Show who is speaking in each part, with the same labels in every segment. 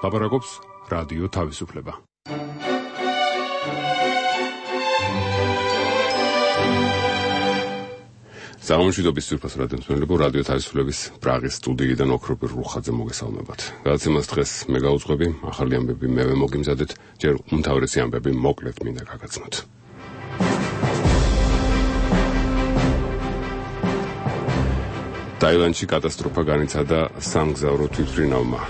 Speaker 1: ლაპარაკობს რადიო თავისუფლება. Სამშვიდობის სურფას რადიომსმენელებო, რადიო თავისუფლების პრაღის სტუდიიდან ოქროპირ რუხაძე მოგესალმებათ. გადაცემას დღეს მე გავუძღვები, ახალი ამბები მე მოგიმზადეთ, ჯერ უმთავრესი ამბები მოკლედ მინდა გაგაცნოთ. ტაილანდში კატასტროფა განიცადა სამგზავრო თვითმფრინავმა.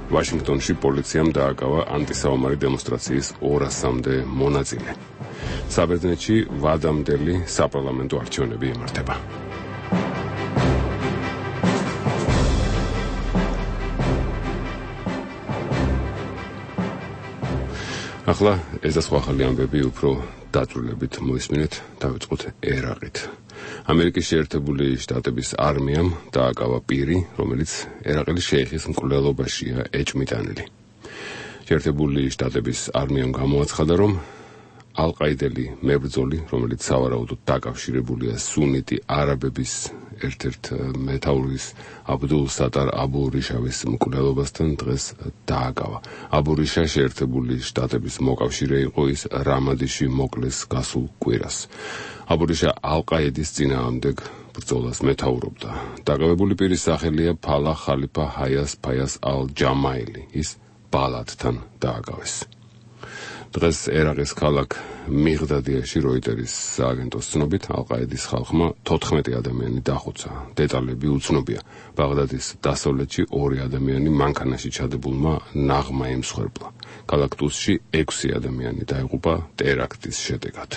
Speaker 1: ვაშინგტონში პოლიციამ დააკავა ანტისაომარი დემონსტრაციის 200-მდე მონაწილე. საბერძნეთში ვადამდელი საპარლამენტო არჩევნები იმართება. ახლა ეს და სხვა ახალი ამბები უფრო დაწვრილებით მოისმინეთ, დავიწყოთ ერაყით. ამერიკის შეერთებული შტატების არმიამ დააკავა პირი, რომელიც ერაყელი შეიხის მკვლელობაშია ეჭმიტანილი. შეერთებული შტატების არმიამ გამოაცხადა, რომ ალ-ყაიდელი მებრძოლი, რომელიც სავარაუდოდ დაკავშირებულია სუნიტი არაბების ერთ-ერთ მეთაურის აბდულ სატარ აბუ რიშავის მკვლელობასთან დღეს დააკავა. აბუ რიშა შეერთებული შტატების მოკავშირე იყო, ის რამადიში მოკლეს გასულ კვირას. აბუ რიშა ალ-ყაიდის წინააღმდეგ ბრძოლას მეთაურობდა. დაკავებული პირის სახელია ფალა ხალიფა ჰაიას ფაიას ალ-ჯამაილი. ის ბალადთან დააკავეს. დღეს ერაყის ქალაქ მიღდადიაში როიტერის სააგენტოს ცნობით ალ-ყაიდის ხალხმა 14 ადამიანი დახოცა. დეტალები უცნობია. ბაღდადის დასავლეთში 2 ადამიანი მანქანაში ჩადებულმა ნაღმა იმსხვერპლა. ქალაქ ტუსში 6 ადამიანი დაიღუპა ტერაქტის შედეგად.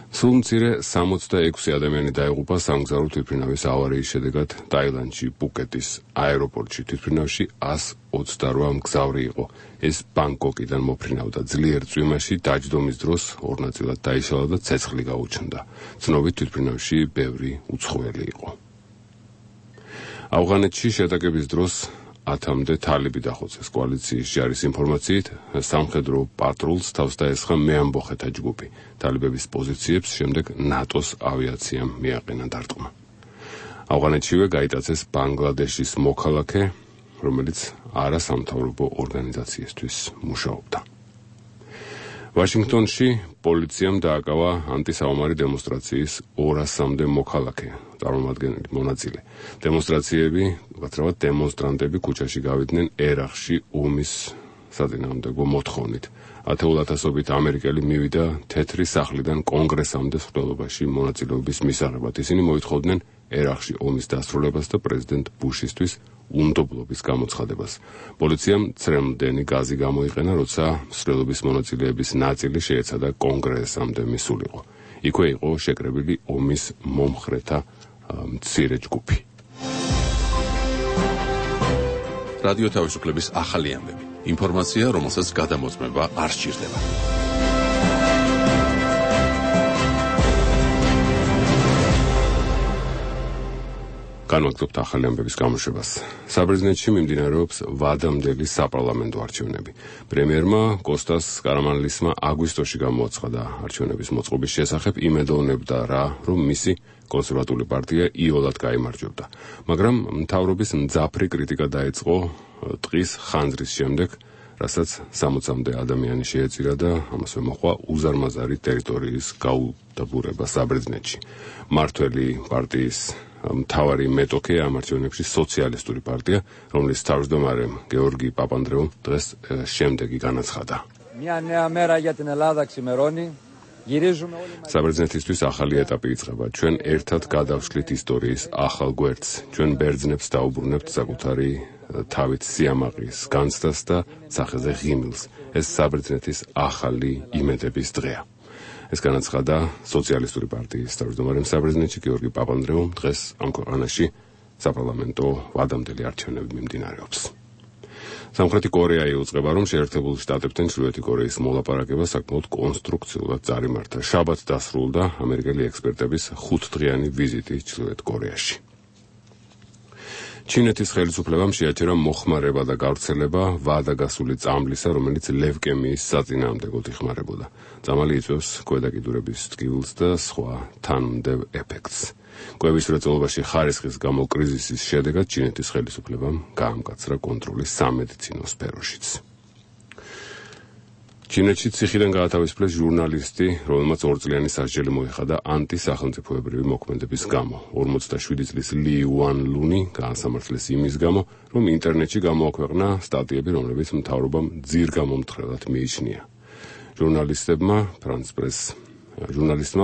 Speaker 1: სულ მცირე 66 ადამიანი დაიღუპა სამგზავრო თვითმფრინავის ავარიის შედეგად ტაილანდში პუკეტის აეროპორტში. თვითმფრინავში 128 მგზავრი იყო. ეს ბანგკოკიდან მოფრინავდა. ძლიერ წვიმაში დაჯდომის დროს 2 ნაწილად დაიშალა და ცეცხლი გაუჩნდა. ცნობით თვითმფრინავში ბევრი უცხოელი იყო. ავღანეთში შეტაკების დროს 10-მდე თალიბი დახოცეს. კოალიციის ჯარის ინფორმაციით, სამხედრო პატრულს თავს დაესხა მეამბოხეთა ჯგუფი. თალიბების პოზიციებს შემდეგ ნატოს ავიაციამ მიაყენა დარტყმა. ავღანეთშივე გაიტაცეს ბანგლადეშის მოქალაქე, რომელიც არასამთავრობო ორგანიზაციისთვის მუშაობდა. ვაშინგტონში პოლიციამ დააკავა ანტისაომარი დემონსტრაციის 200-მდე მოქალაქე, წარმომადგენელი მონაწილე. დემონსტრანტები ქუჩაში გავიდნენ ერაყში ომის საწინააღმდეგო მოთხოვნით. ათეულათასობით ამერიკელი მივიდა თეთრი სახლიდან კონგრესამდე მსვლელობაში მონაწილეობის მისაღებად. ისინი მოითხოვდნენ ერაყში ომის დასრულებას და პრეზიდენტ ბუშისთვის უნდობლობის გამოცხადებას. პოლიციამ ცრემლდენი გაზი გამოიყენა, როცა მსვლელობის მონაწილეების ნაწილი შეეცადა კონგრესამდე მისულიყო. იქვე იყო შეკრებილი ომის მომხრეთა მცირე ჯგუფი.
Speaker 2: რადიო თავისუფლების ახალი ამბები. ინფორმაცია, რომელსაც გადამოწმება არ სჭირდება.
Speaker 1: განვაგრძობთ ახალი ამბების გამოშვებას. საბერძნეთში მიმდინარეობს ვადამდელი საპარლამენტო არჩევნები. პრემიერმა კოსტას კარამანლისმა აგვისტოში გამოაცხადა არჩევნების მოწყობის შესახებ, იმედოვნებდა რა, რომ მისი კონსერვატული პარტია იოლად გაიმარჯვებდა. მაგრამ მთავრობის მძაფრი კრიტიკა დაიწყო ტყის ხანძრის შემდეგ, რასაც 60-მდე ადამიანი შეეწირა და ამასვე მოჰყვა უზარმაზარი ტერიტორიის გაუდაბურება საბერძნეთში. მართველი პარტიის მთავარი მეტოქე ამ არჩევნებში სოციალისტური პარტია, რომლის თავმჯდომარემ გეორგი პაპანდრეუმ დღეს შემდეგი განაცხადა. საბერძნეთისთვის ახალი ეტაპი იწყება. ჩვენ ერთად გადავშლით ისტორიის ახალ გვერდს. ჩვენ ბერძნებს დაუბრუნებთ საკუთარი თავით სიამაყის განცდას და სახეზე ღიმილს. ეს საბერძნეთის ახალი იმედების დღეა. ეს განაცხადა სოციალისტური პარტიის თავმჯდომარემ საბერძნეთში გეორგი პაპანდრეუმ დღეს ამ ქვეყანაში საპარლამენტო ვადამდელი არჩევნები მიმდინარეობს. სამხრეთი კორეა იუწყება, რომ შეერთებულ შტატებთან ჩრდილოეთი კორეის მოლაპარაკება საკმაოდ კონსტრუქციულად წარიმართა. შაბათს დასრულდა ამერიკელი ექსპერტების 5-დღიანი ვიზიტი ჩრდილოეთ კორეაში. ჩინეთის ხელისუფლებამ შეაჩერა მოხმარება და გავრცელება ვადაგასული წამლისა, რომელიც ლევკემიის საწინააღმდეგოდ იხმარებოდა. წამალი იწვევს ქვედა კიდურების ტკივილს და სხვა თანმდევ ეფექტს. კვლევის მრეწველობაში ხარისხის გამო კრიზისის შედეგად ჩინეთის ხელისუფლებამ გაამკაცრა კონტროლი სამედიცინო სფეროშიც. ჩინეთში ციხიდან გაათავისუფლეს ჟურნალისტი, რომელმაც 2 წლიანი სასჯელი მოიხადა ანტისახელმწიფოებრივი მოქმედების გამო. 47 წლის ლი უანლუნი გაასამართლეს იმის გამო, რომ ინტერნეტში გამოაქვეყნა სტატიები, რომლებიც მთავრობამ ძირგამომთხრელად მიიჩნია. ჟურნალისტმა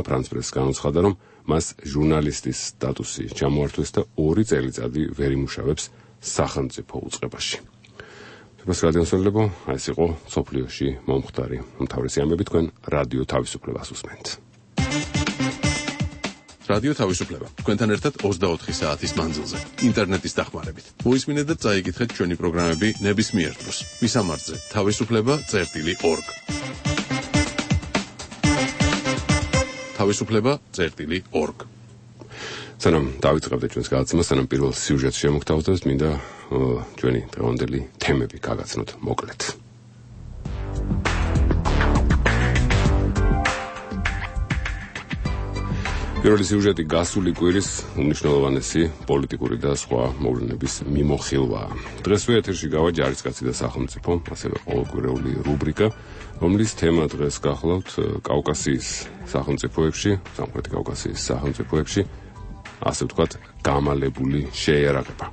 Speaker 1: ფრანს პრესს განუცხადა, რომ მას ჟურნალისტის სტატუსი ჩამოართვეს და 2 წელიწადი ვერ იმუშავებს სახელმწიფო უწყებაში. რადიოსმენლებო, ეს იყო სოფლიოში მომხდარი უმთავრესი ამბები, თქვენ რადიო თავისუფლებას უსმენთ.
Speaker 2: რადიო თავისუფლება თქვენთან ერთად 24 საათის მანძილზე ინტერნეტის დახმარებით. მოისმინეთ და წაიკითხეთ ჩვენი პროგრამები ნებისმიერ დროს. მისამართზე თავისუფლება.org. თავისუფლება.org. სანამ დავიწყებთ ჩვენს გადაცემას, სანამ პირველ სიუჟეტს შემოგთავაზებთ, მინდა ჩვენი დღევანდელი თემები გაგაცნოთ მოკლედ. პირველი სიუჟეტი გასული კვირის უმნიშვნელოვანესი პოლიტიკური და სხვა მოვლენების მიმოხილვაა. დღესვე ეთერში გავა ჯარისკაცი და სახელმწიფო, ასევე ყოველკვირეული რუბრიკა, რომლის თემა დღეს გახლავთ კავკასიის სახელმწიფოებში, სამხრეთი კავკასიის სახელმწიფოებში, ასე ვთქვათ, გამალებული შეიარაღება.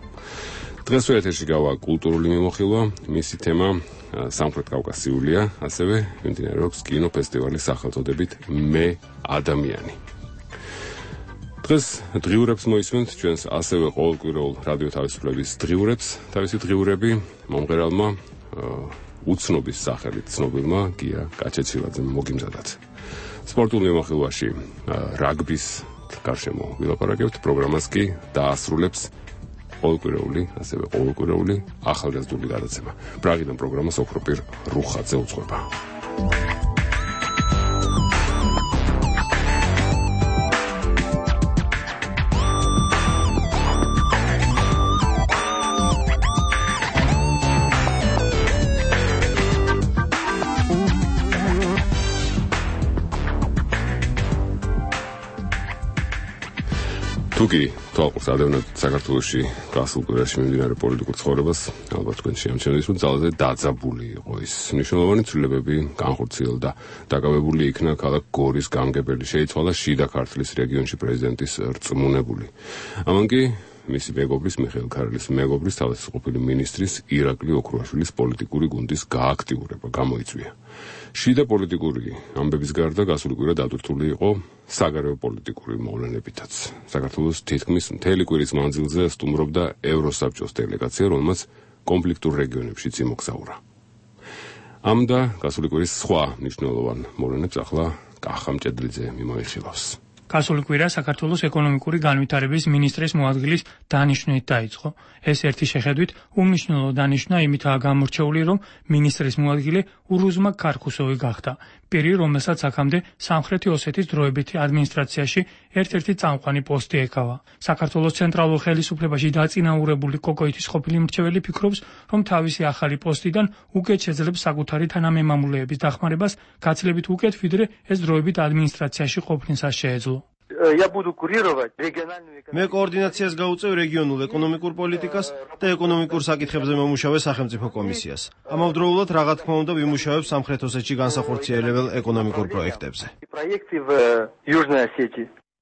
Speaker 2: დღესვე ეთერში გავა კულტურული მიმოხილვა, მისი თემა სამხრეთ კავკასიულია, ასევე მიმდინარეობს კინოფესტივალის სახელწოდებით მე ადამიანი. დღეს დღიურებს მოისმენთ ჩვენს ასევე ყოველკვირეულ რადიო თავისუფლების დღიურებს. თავისი დღიურები მომღერალმა უცნობის სახელით ცნობილმა გია კაჩეჩილაძემ მოგიმზადათ. სპორტულ მიმოხილვაში რაგბის გარშემო ვილაპარაკებთ, პროგრამას კი დაასრულებს ყოველკვირეული, ასევე ყოველკვირეული ახალგაზრდული გადაცემა. პრაღიდან პროგრამას ოქროპირ რუხაძე უძღვება. თუკი თვალყურს ადევნებთ საქართველოში გასულ კვირაში მიმდინარე პოლიტიკურ ცხოვრებას, ალბათ თქვენ შეამჩნევთ, რომ ძალზე დაძაბული იყო ის მნიშვნელოვანი ცვლილებები განხორციელდა. დაკავებული იქნა ქალაქ გორის გამგებელი, შეიცვალა შიდა ქართლის რეგიონში პრეზიდენტის რწმუნებული. ამან კი მისი მეგობრის, მიხეილ ქარელის მეგობრის, თავდაცვითი მინისტრის ირაკლი ოქრუაშვილის პოლიტიკური გუნდის გააქტიურება გამოიწვია. შიდა პოლიტიკური ამბების გარდა გასული კვირა დატვირთული იყო საგარეო პოლიტიკური მოვლენებითაც. საქართველოს თითქმის მთელი კვირის მანძილზე სტუმრობდა ევროსაბჭოს დელეგაცია, რომელმაც კონფლიქტურ რეგიონებშიც იმოგზაურა. ამ და გასული კვირის სხვა მნიშვნელოვან მოვლენებს ახლა კახა მჭედლიძე მიმოიხილავს.
Speaker 3: გასული კვირა საქართველოს ეკონომიკური განვითარების მინისტრის მოადგილის დანიშვნით დაიწყო. ეს ერთი შეხედვით უმნიშვნელო დანიშვნა იმითაა გამორჩეული, რომ მინისტრის მოადგილე ურუზმა ქარქუსოვი გახდა. პირი, რომელსაც აქამდე სამხრეთი ოსეთის დროებითი ადმინისტრაციაში ერთ-ერთი წამყვანი პოსტი ეკავა. საქართველოს ცენტრალურ ხელისუფლებაში დაწინაურებული კოკოითის ყოფილი მრჩეველი ფიქრობს, რომ თავისი ახალი პოსტიდან უკეთ შეძლებს საკუთარი თანამემამულეების დახმარებას, გაცილებით უკეთ, ვიდრე ეს დროებით ადმინისტრაციაში ყოფნისას შეეძლო.
Speaker 4: მე კოორდინაციას გავუწევ რეგიონულ ეკონომიკურ პოლიტიკას და ეკონომიკურ საკითხებზე მომუშავე სახელმწიფო კომისიას. ამავდროულად, რა თქმა უნდა, ვიმუშავებ სამხრეთ ოსეთში განსახორციელებელ ეკონომიკურ პროექტებზე.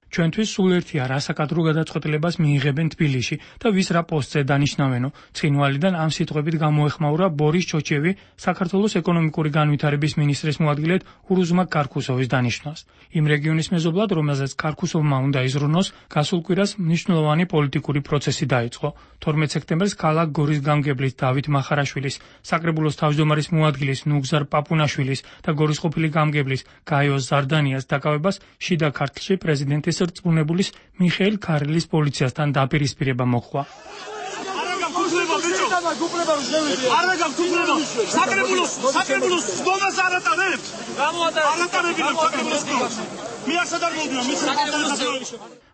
Speaker 3: ჩვენთვის სულ ერთია რა საკადრო გადაწყვეტილებას მიიღებენ თბილისში და ვის რა პოსტზე დანიშნავენო. ცხინვალიდან ამ სიტყვებით გამოეხმაურა ბორის ჩოჩიევი საქართველოს ეკონომიკური განვითარების მინისტრის მოადგილედ ურუზმა ქარქუსოვის დანიშვნას. იმ რეგიონის მეზობლად, რომელზეც ქარქუსოვმა უნდა იზრუნოს, გასულ კვირას მნიშვნელოვანი პოლიტიკური პროცესი დაიწყო. 12 სექტემბერს ქალაქ გორის გამგებლის დავით მახარაშვილის, საკრებულოს თავმჯდომარის მოადგილის ნუგზარ პაპუნაშვილის და გორის ყოფილი გამგებლის გაიო ზარდანიას დაკავებას შიდა ქართლში პრეზიდენტის რწმუნებულის მიხეილ ქარელის პოლიციასთან დაპირისპირება მოხდა.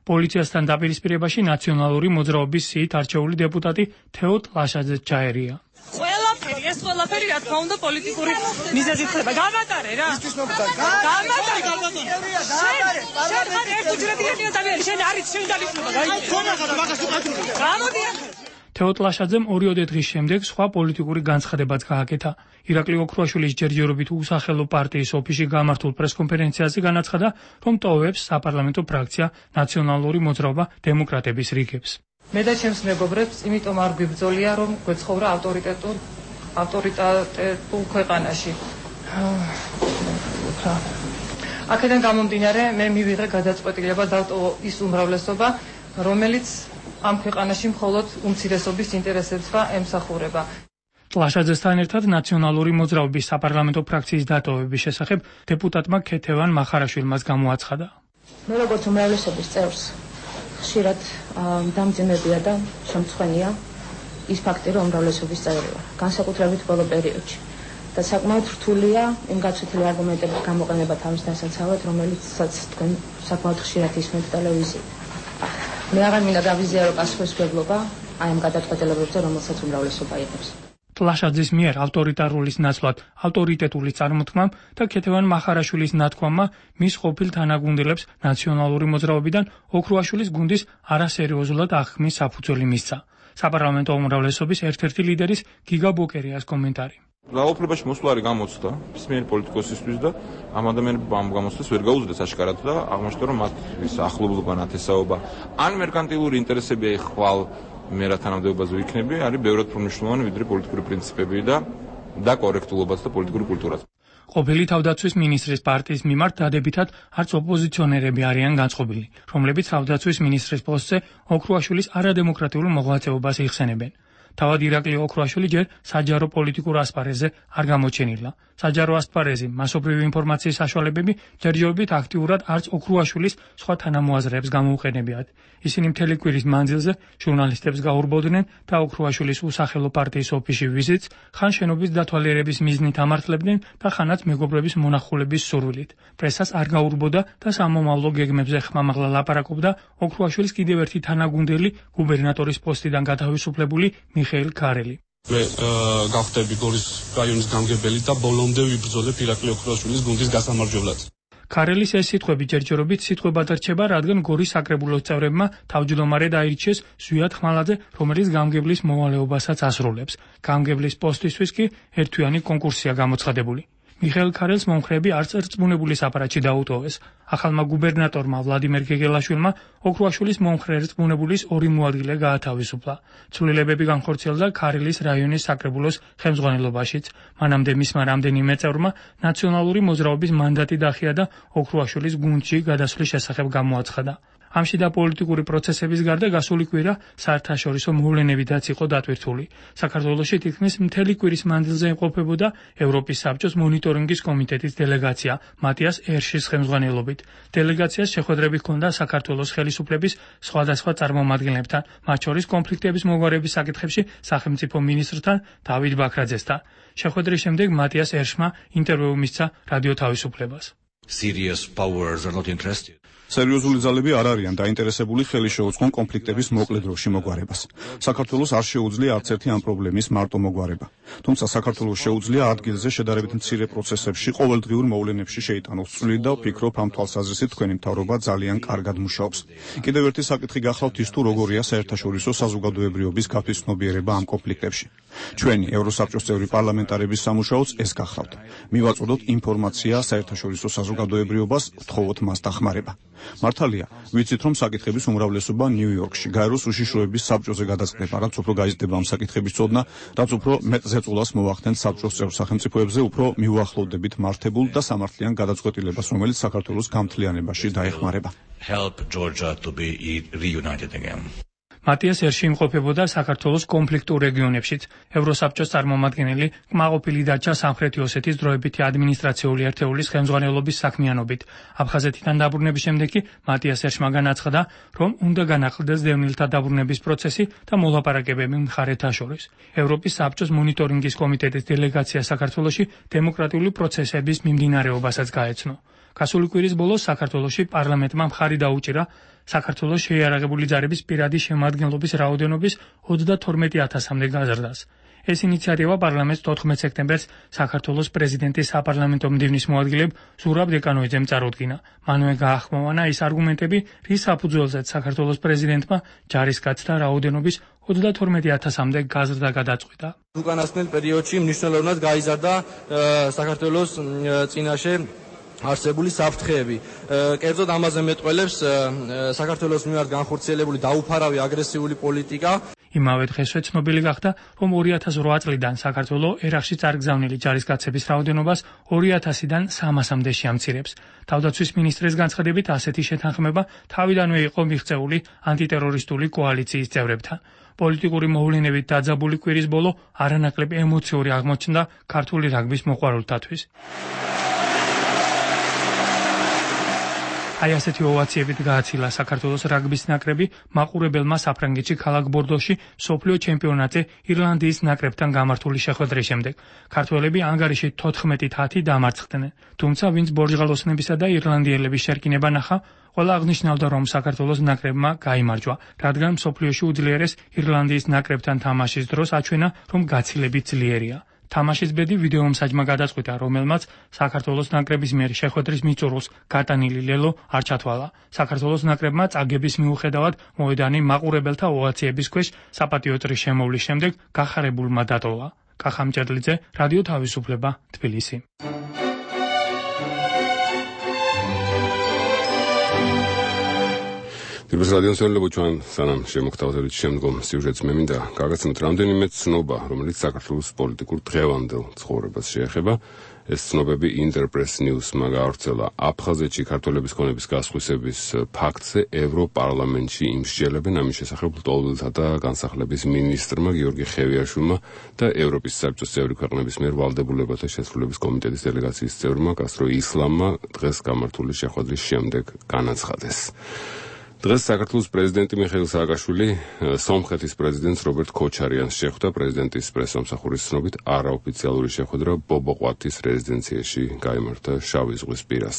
Speaker 3: პოლიციასთან დაპირისპირებაში ნაციონალური მოძრაობის სიით არჩეული დეპუტატი თეო ტლაშაძე ჩაერია.
Speaker 5: ყველაფერი, ეს ყველაფერი რა თქმა უნდა პოლიტიკური მიზეზით ხდება. გამატარე რა. გამატარე. შენ ხარ ერთუჯრედიანი ადამიანი, შენ არის შენ დანიშნულება. გამოდი.
Speaker 3: თეო ტლაშაძემ 2 დღის შემდეგ სხვა პოლიტიკური განცხადებაც გააკეთა. ირაკლი ოქრუაშვილის ჯერჯერობით უსახელო პარტიის ოფისში გამართულ პრესკონფერენციაზე განაცხადა, რომ ტოვებს საპარლამენტო ფრაქცია ნაციონალური მოძრაობა დემოკრატების რიგებს.
Speaker 5: მე და ჩემს მეგობრებს იმიტომ არ გვიბრძოლია, რომ გვეცხოვრა ავტორიტეტულ ქვეყანაში. აქედან გამომდინარე, მე მივიღე გადაწყვეტილება დავტოვო ის უმრავლესობა, რომელიც ამ ქვეყანაში მხოლოდ უმცირესობის ინტერესებს ემსახურება.
Speaker 3: ტლაშაძესთან ერთად ნაციონალური მოძრაობის საპარლამენტო ფრაქციის დატოვების შესახებ დეპუტატმა ქეთევან მახარაშვილმაც გამოაცხადა.
Speaker 6: მე როგორც უმრავლესობის წევრს ხშირად დამძიმებია და შემწხვენია ის ფაქტი, რომ უმრავლესობის წევრი ვარ, განსაკუთრებით ბოლო პერიოდში. და საკმაოდ რთულია იმ გაცვეთილი არგუმენტების გამოყენება თავის დასაცავად, რომელიცაც თქვენ საკმაოდ ხშირად ისმენთ ტელევიზიით. მე აღარ მინდა გავიზიარო პასუხისმგებლობა აი ამ გადაწყვეტილებებზე, რომელსაც უმრავლესობა იღებს.
Speaker 3: ტლაშაძის მიერ ავტორიტარულის ნაცვლად ავტორიტეტული წარმოთქმამ და ქეთევან მახარაშვილის ნათქვამმა მის ყოფილ თანაგუნდელებს ნაციონალური მოძრაობიდან ოქრუაშვილის გუნდის არასერიოზულად აღქმის საფუძველი მისცა. საპარლამენტო უმრავლესობის ერთ-ერთი ლიდერის გიგა ბოკერიას კომენტარი.
Speaker 7: გაოფლებაში მოსვლა არის გამოცდა ისმენელი პოლიტიკოსისთვის და ამ ადამიანებმა ამ გამოცდას ვერ გაუძლეს აშკარად და აღმოჩნდა რომ მათ ის ახლობლობა ნათესაობა ან მერკანტილური ინტერესები ხვალ მე რა თანამდებობაზე ვიქნები არის ბევრად უფრო მნიშვნელოვანი ვიდრე პოლიტიკური პრინციპები და კორექტულობაც და პოლიტიკური კულტურაც.
Speaker 3: ყოფილი თავდაცვის მინისტრის პარტიის მიმართ დადებითად არც ოპოზიციონერები არიან განწყობილი, რომლებიც თავდაცვის მინისტრის პოსტზე ოქრუაშვილის არადემოკრატიულ მოღვაწეობას იხსენებენ. თავად ირაკლი ოქრუაშვილი ჯერ საჯარო პოლიტიკურ ასპარეზზე არ გამოჩენილა. საჯარო ასპარეზი, მასობრივი ინფორმაციის საშუალებები ჯერჯერობით აქტიურად არც ოქრუაშვილის სხვა თანამოაზრეებს გამოუყენებიათ. ისინი მთელი კვირის მანძილზე ჟურნალისტებს გაურბოდნენ და ოქრუაშვილის უსახელო პარტიის ოფისში ვიზიტს ხან შენობის დათვალიერების მიზნით ამართლებდნენ და ხანაც მეგობრების მონახულების სურვილით. პრესას არ გაურბოდა და სამომავლო გეგმებზე ხმამაღლა ლაპარაკობდა ოქრუაშვილის კიდევ ერთი თანაგუნდელი გუბერნატორის პოსტიდან გათავისუფლებული მიხეილ ქარელი.
Speaker 8: მე გავხდები გორის რაიონის გამგებელი და ბოლომდე ვიბრძოლებ ირაკლი ოქრუაშვილის გუნდის გასამარჯვებლად.
Speaker 3: ქარელის ეს სიტყვები ჯერჯერობით სიტყვებად რჩება, რადგან გორის საკრებულოს წევრებმა თავმჯდომარედ აირჩიეს ზვიად ხმალაძე, რომელიც გამგებლის მოვალეობასაც ასრულებს. გამგებლის პოსტისთვის კი ერთთვიანი კონკურსია გამოცხადებული. მიხეილ ქარელს მომხრეები არც რწმუნებული აპარატში დაუტოვეს. ახალმა გუბერნატორმა ვლადიმერ გეგელაშვილმა ოქრუაშვილის მომხრე რწმუნებულის 2 მოადგილე გაათავისუფლა. ცვლილებები განხორციელდა ქარელის რაიონის საკრებულოს ხელმძღვანელობაშიც. მანამდე მისმა რამდენიმე წევრმა ნაციონალური მოძრაობის მანდატი დახია და ოქრუაშვილის გუნდში გადასვლის შესახებ გამოაცხადა. ამში და პოლიტიკური პროცესების გარდა გასული კვირა საერთაშორისო მოვლენებითაც იყო დატვირთული. საქართველოში თითქმის მთელი კვირის მანძილზე იმყოფებოდა ევროპის საბჭოს მონიტორინგის კომიტეტის დელეგაცია მატიას ერშის ხელმძღვანელობით. დელეგაციას შეხვედრები ჰქონდა საქართველოს ხელისუფლების სხვადასხვა წარმომადგენლებთან, მათ შორის კონფლიქტების მოგვარების საკითხებში სახელმწიფო მინისტრთან დავით ბაქრაძესთან. შეხვედრის შემდეგ მატიას ერშმა ინტერვიუ მისცა რადიო თავისუფლებას.
Speaker 9: Serious powers are not interested.
Speaker 10: სერიოზული ძალები არ არიან დაინტერესებული ხელი შეუწყონ კონფლიქტების მოკლე დროში მოგვარებას. საქართველოს არ შეუძლია არც ერთი ამ პრობლემის მარტო მოგვარება. თუმცა საქართველოს შეუძლია ადგილზე შედარებით მცირე პროცესებში ყოველდღიურ მოვლენებში შეიტანოს წვლილი და ვფიქრობ ამ თვალსაზრისით თქვენი მთავრობა ძალიან კარგად მუშაობს. კიდევ ერთი საკითხი გახლავთ ის თუ როგორია საერთაშორისო საზოგადოებრიობის გათვითცნობიერება ამ კონფლიქტებში. ჩვენი ევროსაბჭოს წევრი პარლამენტარების სამუშაოც ეს გახლავთ. მივაწოდოთ ინფორმაცია საერთაშორისო საზოგადოებრიობას, ვთხოვოთ მას დახმარება. მართალია, ვიცით რომ საკითხების უმრავლესობა ნიუ-იორკში, გაეროს უშიშროების საბჭოზე გადაწყდება, რაც უფრო გაიზრდება ამ საკითხების წოდნა, რაც უფრო მეტ ზეწოლას მოახდენთ საბჭოს წევრ სახელმწიფოებზე, უფრო მივუახლოვდებით მართებულ და სამართლიან გადაწყვეტილებას, რომელიც საქართველოს გამთლიანებაში დაეხმარება.
Speaker 9: Help Georgia to be reunited again.
Speaker 3: მატიას ერში იმყოფებოდა საქართველოს კონფლიქტურ რეგიონებშიც. ევროსაბჭოს წარმომადგენელი კმაყოფილი დარჩა სამხრეთი ოსეთის დროებითი ადმინისტრაციული ერთეულის ხელმძღვანელობის საქმიანობით. აფხაზეთიდან დაბრუნების შემდეგ კი მატიას ერშმა განაცხადა, რომ უნდა განახლდეს დევნილთა დაბრუნების პროცესი და მოლაპარაკებები მხარეთა შორის. ევროპის საბჭოს მონიტორინგის კომიტეტის დელეგაცია საქართველოში დემოკრატიული პროცესების მიმდინარეობასაც გაეცნო. გასული კვირის ბოლოს საქართველოში პარლამენტმა მხარი დაუჭირა საქართველოს შეიარაღებული ძალების პირადი შემადგენლობის რაოდენობის 32,000-მდე გაზრდას. ეს ინიციატივა პარლამენტს 14 სექტემბერს საქართველოს პრეზიდენტის საპარლამენტო მდივნის მოადგილედ ზურაბ დეკანოიძემ წარუდგინა. მანვე გაახმოვანა ის არგუმენტები, რის საფუძველზეც საქართველოს პრეზიდენტმა ჯარისკაცთა რაოდენობის 32,000-მდე გაზრდა გადაწყვიტა.
Speaker 11: უკანასკნელ პერიოდში მნიშვნელოვნად გაიზარდა საქართველოს წინაშე არსებული საფრთხეები. კერძოდ ამაზე მეტყველებს საქართველოს მიმართ განხორციელებული დაუფარავი აგრესიული პოლიტიკა.
Speaker 3: იმავე დღესვე ცნობილი გახდა, რომ 2008 წლიდან საქართველოს ერაყში წარგზავნილი ჯარისკაცების რაოდენობას 200-დან 300-მდე შეამცირებს. თავდაცვის მინისტრის განცხადებით, ასეთი შეთანხმება თავიდანვე იყო მიღწეული ანტიტერორისტული კოალიციის წევრებთან. პოლიტიკური მოვლენებით დაძაბული კვირის ბოლო არანაკლებ ემოციური აღმოჩნდა ქართული რაგბის მოყვარულთათვის. აი ასეთი ოვაციებით გააცილა საქართველოს რაგბის ნაკრები მაყურებელმა საფრანგეთში ქალაქ ბორდოში მსოფლიო ჩემპიონატზე ირლანდიის ნაკრებთან გამართული შეხვედრის შემდეგ. ქართველები ანგარიში 14-10 დამარცხდნენ. თუმცა ვინც ბორჯღალოსნებისა და ირლანდიელების შერკინება ნახა, ყველა აღნიშნავდა, რომ საქართველოს ნაკრებმა გაიმარჯვა, რადგან მსოფლიოში უძლიერეს ირლანდიის ნაკრებთან თამაშის დროს აჩვენა, რომ გაცილებით ძლიერია. თამაშის ბედი ვიდეომსაჯმა გადაწყვიტა, რომელმაც საქართველოს ნაკრების მიერ შეხვედრის მიწურულს გატანილი ლელო არ ჩათვალა. საქართველოს ნაკრებმა წაგების მიუხედავად მოედანი მაყურებელთა ოვაციების ქვეშ საპატიო წრის შემოვლის შემდეგ გახარებულმა დატოვა. კახა მჭედლიძე, რადიო თავისუფლება, თბილისი.
Speaker 2: Դեպս ռադիոյի ჩვენ სანამ შემოგთავაზებთ შემდგომ სიუჟეტს მე მინდა გაგაცნოთ რამდენიმე ცნობა, რომელიც საქართველოს პოლიტიკურ დღევანდელ ცხოვრებას შეეხება. ეს ცნობები Interpress News-მა გაავრცელა. აფხაზეთში ქართველების ქონების გასხვისების ფაქტზე ევროპარლამენტში იმსჯელებენ ამის შესახებ ლტოლვილთა და განსახლების მინისტრმა გიორგი ხევიაშვილმა და ევროპის საბჭოს წევრი ქვეყნების მიერ ვალდებულებათა შესრულების კომიტეტის დელეგაციის წევრმა კასტრო ისლამმა დღეს გამართული შეხვედრის შემდეგ განაცხადეს. დღეს საქართველოს პრეზიდენტი მიხეილ სააკაშვილი სომხეთის პრეზიდენტს რობერტ ქოჩარიანს შეხვდა. პრეზიდენტის პრესსამსახურის ცნობით არაოფიციალური შეხვედრა ბობოყვათის რეზიდენციაში გაიმართა შავი ზღვის პირას.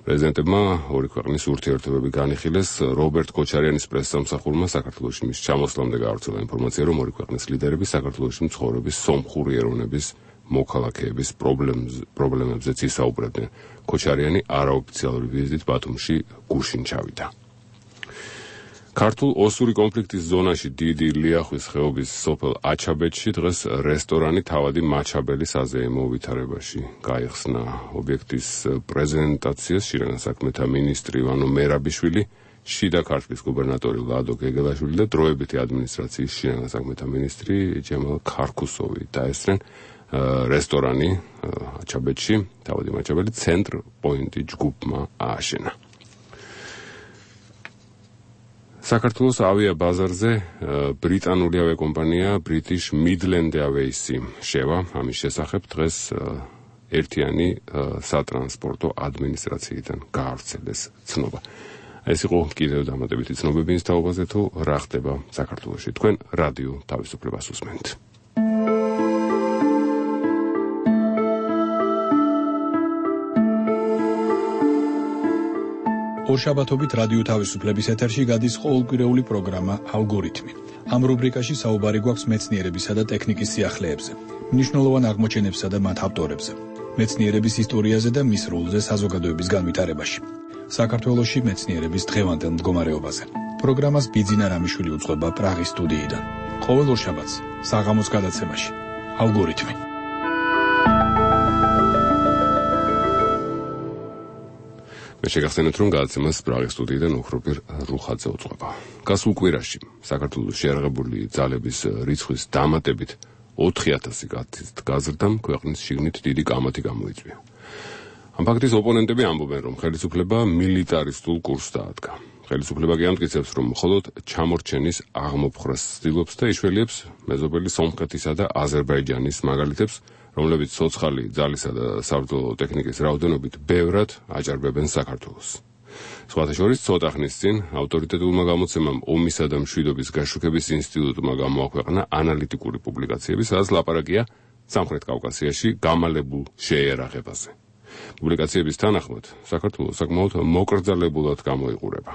Speaker 2: პრეზიდენტებმა ორი ქვეყნის ურთიერთობები განიხილეს. რობერტ ქოჩარიანის პრესსამსახურმა საქართველოში მის ჩამოსვლამდე გაავრცელა ინფორმაცია, რომ ორი ქვეყნის ლიდერები საქართველოში მცხოვრების სომხური ეროვნების მოქალაქეების პრობლემებზეც ისაუბრებდნენ. ქოჩარიანი არაოფიციალური ვიზიტით ბათუმში გუშინ ჩავიდა. ქართულ ოსური კონფლიქტის ზონაში დიდი ლიახვის ხეობის სოფელ აჩაბეთში დღეს რესტორანი თავადი მაჩაბელის აზეიმო ვითარებაში გაიხსნა. ობიექტის პრეზენტაციას შინაგან საქმეთა მინისტრი ივანო მერაბიშვილი, შიდა ქართლის გუბერნატორი ლადო გეგელაშვილი და დროებითი ადმინისტრაციის შინაგან საქმეთა მინისტრი ჯემალ ქარქუსოვი დაესწრნენ. რესტორანი აჩაბეთში თავადი მაჩაბელი ცენტრ პოინტი ჯგუფმა ააშენა. საქართველოს ავიაბაზარზე ბრიტანული ავიაკომპანია British Midland Airways შევა. ამის შესახებ დღეს ერთიანი სატრანსპორტო ადმინისტრაციიდან გაავრცელეს ცნობა. ეს იყო კიდევ დამატებითი ცნობები ის თაობაზე, თუ რა ხდება საქართველოში. თქვენ რადიო თავისუფლებას უსმენთ.
Speaker 12: ორშაბათობით რადიო თავისუფლების ეთერში გადის ყოველკვირეული პროგრამა ალგორითმი. ამ რუბრიკაში საუბარი გვაქვს მეცნიერებისა და ტექნიკის სიახლეებზე, მნიშვნელოვან აღმოჩენებსა და მათ ავტორებზე, მეცნიერების ისტორიაზე და მის როლზე საზოგადოების განვითარებაში. საქართველოში მეცნიერების დღევანდელ მდგომარეობაზე. პროგრამას ბიძინა რამიშვილი უძღვება პრაღის სტუდიიდან. ყოველ ორშაბათს საღამოს გადაცემაში ალგორითმი.
Speaker 2: მე შეგახსენებთ, რომ გადაცემას პრაღის სტუდიიდან უხროპირ რუხაძე უძღვება. გასულ კვირაში საქართველოს შეიარაღებული ძალების რიცხვის დამატებით 4,000 გაზრდამ ქვეყნის შიგნით დიდი კამათი გამოიწვია. ამ ფაქტის ოპონენტები ამბობენ, რომ ხელისუფლება მილიტარისტულ კურსს დაადგა. ხელისუფლება კი ამტკიცებს, რომ მხოლოდ ჩამორჩენის აღმოფხრას ცდილობს და იშველიებს მეზობელი სომხეთისა და აზერბაიჯანის მაგალითებს, რომლებიც ცოცხალი ძალისა და საბრძოლო ტექნიკის რაოდენობით ბევრად აჭარბებენ საქართველოს. სხვათა შორის ცოტა ხნის წინ ავტორიტეტულმა გამოცემამ ომისა და მშვიდობის გაშუქების ინსტიტუტმა გამოაქვეყნა ანალიტიკური პუბლიკაციები, სადაც ლაპარაკია სამხრეთ კავკასიაში გამალებულ შეიარაღებაზე.
Speaker 1: პუბლიკაციების თანახმად, საქართველოს საკმაოდ მოკრძალებულად გამოიყურება.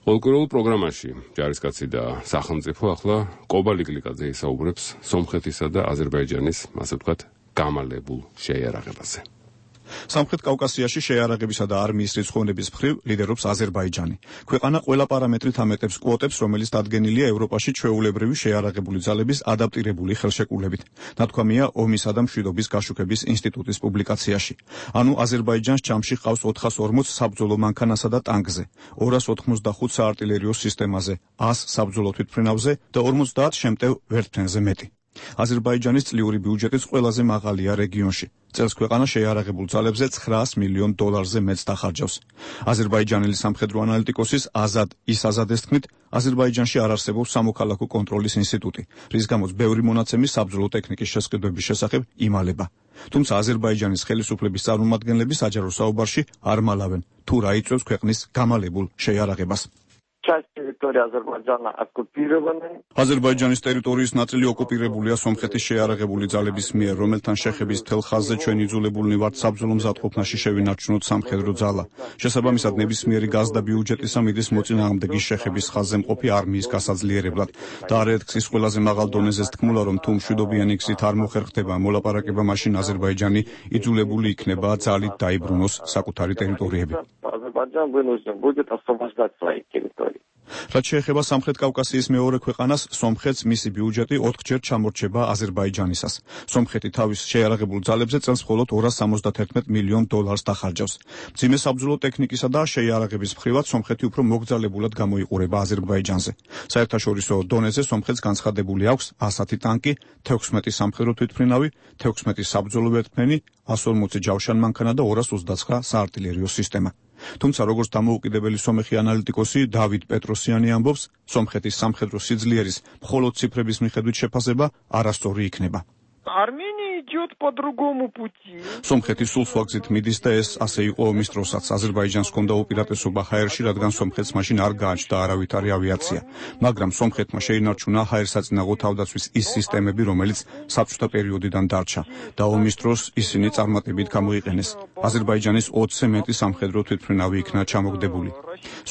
Speaker 1: ყოველკვირეულ პროგრამაში ჯარისკაცი და სახელმწიფო ახლა კობა ლიგლიკაძე ისაუბრებს სომხეთისა და აზერბაიჯანის, ასე ვთქვათ, გამალებულ შეიარაღებაზე.
Speaker 10: სამხრეთ კავკასიაში შეიარაღებისა და არმიის რიცხოვნების მხრივ ლიდერობს აზერბაიჯანი. ქვეყანა ყველა პარამეტრით ამეტებს კვოტებს, რომელიც დადგენილია ევროპაში ჩვეულებრივი შეიარაღებული ძალების ადაპტირებული ხელშეკრულებით. ნათქვამია ომისა და მშვიდობის გაშუქების ინსტიტუტის პუბლიკაციაში. ანუ აზერბაიჯანს ჯამში ჰყავს 440 საბრძოლო მანქანასა და ტანკზე, 285 საარტილერიო სისტემაზე, 100 საბრძოლო თვითმფრინავზე და 50 შემტევ ვერტმფრენზე მეტი. აზერბაიჯანის წლიური ბიუჯეტიც ყველაზე მაღალია რეგიონში. წელს ქვეყანა შეიარაღებულ ძალებზე $900 მილიონ მეტს დახარჯავს. აზერბაიჯანელი სამხედრო ანალიტიკოსის აზად ისაზადეს თქმით, აზერბაიჯანში არ არსებობს სამოქალაქო კონტროლის ინსტიტუტი, რის გამოც ბევრი მონაცემი საბრძოლო ტექნიკის შესყიდვების შესახებ იმალება. თუმცა აზერბაიჯანის ხელისუფლების წარმომადგენლები საჯარო საუბარში არ მალავენ, თუ რა იწვევს ქვეყნის გამალებულ შეიარაღებას. აზერბაიჯანის ტერიტორიის ნაწილი ოკუპირებულია სომხეთის შეიარაღებული ძალების მიერ, რომელთან შეხების მთელ ხაზზე ჩვენ იძულებულნი ვართ საბრძოლო მზადყოფნაში შევინარჩუნოთ სამხედრო ძალა. შესაბამისად, ნებისმიერი გაზდა ბიუჯეტისა მიდის მოწინააღმდეგის შეხების ხაზზე მყოფი არმიის გასაძლიერებლად და არაერთგზის ის ყველაზე მაღალ დონეზეც თქმულა, რომ თუ მშვიდობიანი გზით არ მოხერხდება მოლაპარაკება, მაშინ აზერბაიჯანი იძულებული იქნება ძალით დაიბრუნოს საკუთარი ტერიტორიები. რაც შეეხება სამხრეთ კავკასიის მეორე ქვეყანას, სომხეთს მისი ბიუჯეტი 4-ჯერ ჩამორჩება აზერბაიჯანისას. სომხეთი თავის შეიარაღებულ ძალებზე წელს მხოლოდ $271 მილიონ დახარჯავს. მძიმე საბრძოლო ტექნიკისა და შეიარაღების მხრივად სომხეთი უფრო მოგრძალებულად გამოიყურება აზერბაიჯანზე. საერთაშორისო დონეზე სომხეთს განცხადებული აქვს 110 ტანკი, 16 სამხედრო თვითმფრინავი, 16 საბრძოლო ვერტმფრენი, 140 ჯავშან მანქანა და 229 საარტილერიო სისტემა. თუმცა როგორც დამოუკიდებელი სომეხი ანალიტიკოსი დავიდ პეტროსიანი ამბობს, სომხეთის სამხედრო სიძლიერის მხოლოდ ციფრების მიხედვით შეფასება არასწორი იქნება. სომხეთი სულ სხვა გზით მიდის და ეს ასე იყო ომის დროსაც. აზერბაიჯანს ჰქონდა უპირატესობა ჰაერში, რადგან სომხეთს მაშინ არ გააჩნდა არავითარი ავიაცია. მაგრამ სომხეთმა შეინარჩუნა ჰაერსაწინააღმდეგო თავდაცვის ის სისტემები, რომელიც საბჭოთა პერიოდიდან დარჩა და ომის დროს ისინი წარმატებით გამოიყენეს. აზერბაიჯანის 20-ზე მეტი სამხედრო თვითმფრინავი იქნა ჩამოგდებული.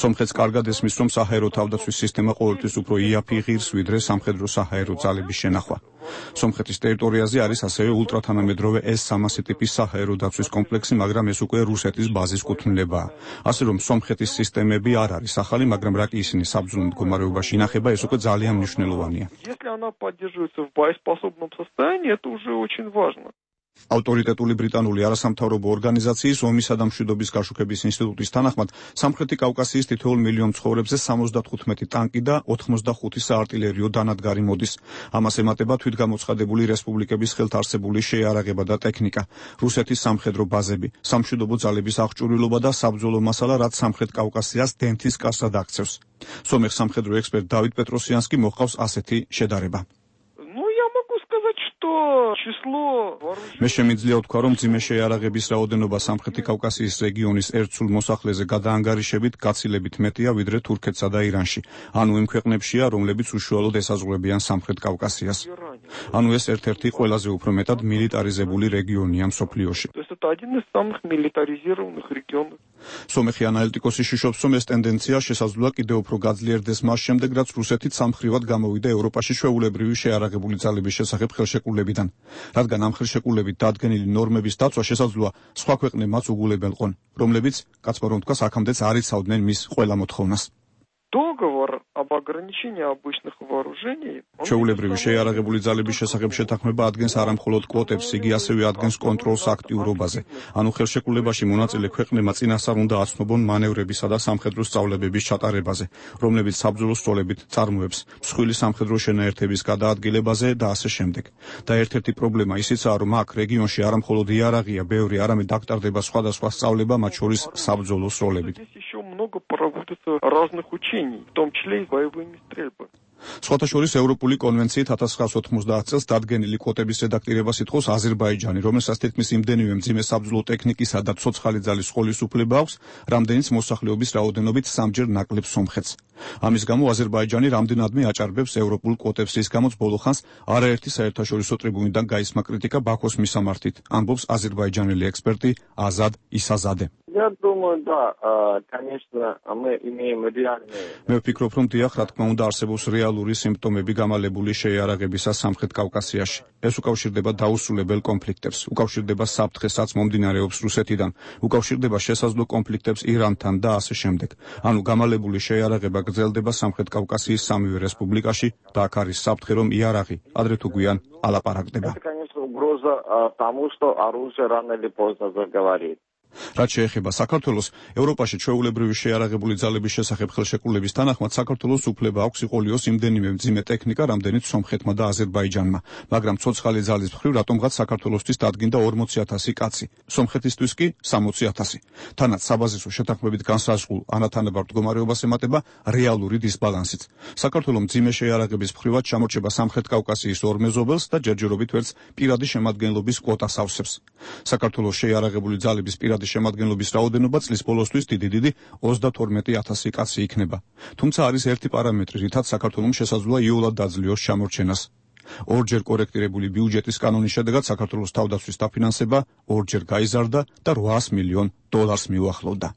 Speaker 10: სომხეთს კარგად ესმის, რომ საჰაერო თავდაცვის სისტემა ყოველთვის უფრო იაფი ღირს, ვიდრე სამხედრო საჰაერო ძალების შენახვა. სომხეთის ტერიტორიაზე არის ასევე ულტრათანამედროვე S-300 ტიპის საჰაერო დაცვის კომპლექსი, მაგრამ ეს უკვე რუსეთის ბაზის კუთვნილებაა. ასე რომ სომხეთის სისტემები არ არის ახალი, მაგრამ რა კი ისინი საბრძოლო მდგომარეობაში ინახება, ეს უკვე ძალიან მნიშვნელოვანია. ავტორიტეტული ბრიტანული არასამთავრობო ორგანიზაციის ომისა და მშვიდობის გაშუქების ინსტიტუტის თანახმად, სამხრეთი კავკასიის თითოეულ მილიონ ცხოვრებზე 75 ტანკი და 85 საარტილერიო დანადგარი მოდის. ამას ემატება თვითგამოცხადებული რესპუბლიკების ხელთ არსებული შეიარაღება და ტექნიკა, რუსეთის სამხედრო ბაზები, სამშვიდობო ძალების აღჭურვილობა და საბრძოლო მასალა, რაც სამხრეთ კავკასიას დენთის კასად აქცევს. სომეხ სამხედრო ექსპერტ დავიდ პეტროსიანსკი მოჰყავს ასეთი შედარება. მე შემიძლია ვთქვა, რომ მძიმე შეიარაღების რაოდენობა სამხრეთი კავკასიის რეგიონის ერთ სულ მოსახლეზე გადაანგარიშებით გაცილებით მეტია, ვიდრე თურქეთსა და ირანში. ანუ იმ ქვეყნებშია, რომლებიც უშუალოდ ესაზღვრებიან სამხრეთ კავკასიას. ანუ ეს ერთ-ერთი ყველაზე უფრო მეტად მილიტარიზებული რეგიონია მსოფლიოში. სომეხი ანალიტიკოსი შიშობს, რომ ეს ტენდენცია შესაძლოა კიდევ უფრო გაძლიერდეს მას შემდეგ, რაც რუსეთიც სამხრივად გამოვიდა ევროპაში ჩვეულებრივი შეიარაღებული ძალების შესახებ ხელშეკრულებიდან. რადგან ამ ხელშეკრულებით დადგენილი ნორმების დაცვა შესაძლოა სხვა ქვეყნებმაც უგულებელყონ, რომლებიც, კაცმარო თქვას, აქამდეც არ იცავდნენ მის ყველა მოთხოვნას. ჩვეულებრივი შეიარაღებული ძალების შესახებ შეთანხმება ადგენს არა მხოლოდ კვოტებს, იგი ასევე ადგენს კონტროლს აქტიურობაზე. ანუ ხელშეკრულებაში მონაწილე ქვეყნებმა წინასწარ უნდა აცნობონ მანევრებისა და სამხედრო სწავლებების ჩატარებაზე, რომლებიც საბრძოლო სროლებით წარმოებს მსხვილი სამხედრო შენაერთების გადაადგილებაზე და ასე შემდეგ. და ერთ-ერთი პრობლემა ისიცაა, რომ აქ რეგიონში არა მხოლოდ იარაღია ბევრი, არამედ აქტარდება სხვადასხვა სწავლება, მათ შორის საბრძოლო სროლებით. სხვათა შორის ევროპული კონვენციით 1990 წელს დადგენილი კვოტების რედაქტირებას ითხოვს აზერბაიჯანი, რომელსაც თითქმის იმდენივე მძიმე საბრძოლო ტექნიკისა და ცოცხალი ძალის სხოლისუფლება აქვს, რამდენიც მოსახლეობის რაოდენობით 3-ჯერ ნაკლებ სომხეთს. ამის გამო აზერბაიჯანი რამდენადმე აჭარბებს ევროპულ კვოტებს, რის გამოც ბოლო ხანს არაერთი საერთაშორისო ტრიბუნიდან გაისმა კრიტიკა ბაქოს მისამართით, ამბობს აზერბაიჯანელი ექსპერტი აზად ისაზადე.
Speaker 13: Я думаю, да, конечно, мы имеем реальные.
Speaker 10: მე ვფიქრობ, რომ დიახ, რა თქმა უნდა, არსებობს რეალური სიმპტომები გამალებული შეიარაღებისა სამხრეთ კავკასიაში. ეს უკავშირდება დაუსრულებელ კონფლიქტებს, უკავშირდება საფრთხესაც მომდინარეობს რუსეთიდან, უკავშირდება შესაძლო კონფლიქტებს ირანთან და ასე შემდეგ. ანუ გამალებული შეიარაღება გრძელდება სამხრეთ კავკასიის სამივე რესპუბლიკაში და აქ არის საფრთხე, რომ იარაღი ადრე თუ გვიან ალაპარაკდება.
Speaker 13: Это, конечно, угроза тому, что оружие рано или поздно заговорит.
Speaker 10: რაც შეეხება საქართველოს, ევროპაში ჩვეულებრივი შეიარაღებული ძალების შესახებ ხელშეკრულების თანახმად საქართველოს უფლება აქვს იყოლიოს იმდენივე მძიმე ტექნიკა, რამდენიც სომხეთმა და აზერბაიჯანმა, მაგრამ ცოცხალი ძალის მხრივ რატომღაც საქართველოსთვის დადგინდა 40,000 კაცი, სომხეთისთვის კი 60,000. თანაც საბაზისო შეთანხმებით განსაზღვრულ ანათანაბარ მდგომარეობას ემატება რეალური დისბალანსიც. საქართველოს მძიმე შეიარაღების მხრივად ჩამორჩება სამხრეთ კავკასიის ორ მეზობელს და ჯერჯერობით ვერც პირადი შემადგენლობის კვოტას ავსებს. საქართველოს შეიარაღებული ძალების პირადი შემადგენლობის რაოდენობა წლის ბოლოსთვის დიდი 32,000 კაცი იქნება. თუმცა არის ერთი პარამეტრი, რითაც საქართველოს შესაძლოა იოლად დაძლიოს ჩამორჩენას. ორჯერ კორექტირებული ბიუჯეტის კანონის შედეგად საქართველოს თავდაცვის დაფინანსება ორჯერ გაიზარდა და $800 მილიონ მიუახლოვდა.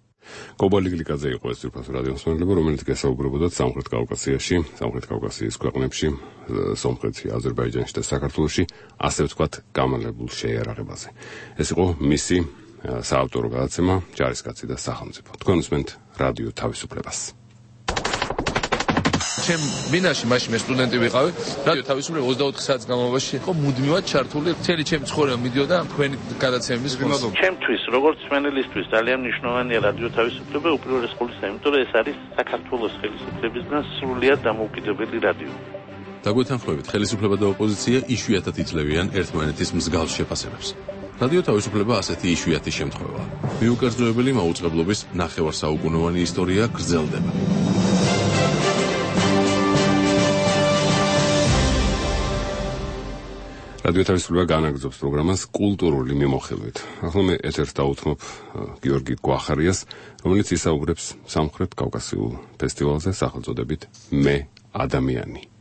Speaker 2: კობალი გლიკაძე იყო ეს ძირფას რადიოს მსმენელები, რომელიც გასაუბრებოდა სამხრეთ კავკასიის ქვეყნებში, სომხეთში, აზერბაიჯანში და საქართველოში, ასე ვთქვათ, გამალებულ შეიარაღებაზე. ეს იყო მისი საავტორო გადაცემა ჯარისკაცი და სახელმწიფო. თქვენ უსმენთ რადიო თავისუფლებას.
Speaker 14: ჩემ ბინაში მაშინ მე სტუდენტი ვიყავი, რადიო თავისუფლება 24 საათის განმავლობაში იყო მუდმივად ჩართული. მთელი ჩემი ცხოვრება მიდიოდა თქვენი გადაცემების ფონზე.
Speaker 15: ჩემთვის, როგორც მსმენელისთვის, ძალიან მნიშვნელოვანია რადიო თავისუფლება უპირველეს ყოვლისა, იმიტომ რომ ეს არის საქართველოს ხელისუფლებისგან სრულიად დამოუკიდებელი რადიო.
Speaker 14: დაგვეთანხმებით, ხელისუფლება და ოპოზიცია იშვიათად იძლევიან ერთმანეთის მსგავს შეფასებებს. რადიო თავისუფლება ასეთი იშვიათი შემთხვევაა. მიუკერძოებელი მაუწყებლობის ნახევარსაუკუნოვანი ისტორია გრძელდება.
Speaker 2: რადიო თავისუფლება განაგრძობს პროგრამას კულტურული მიმოხილვით. ახლა მე ეთერს დაუთმობ გიორგი გვახარიას, რომელიც ისაუბრებს სამხრეთ კავკასიურ ფესტივალზე სახელწოდებით მე ადამიანი.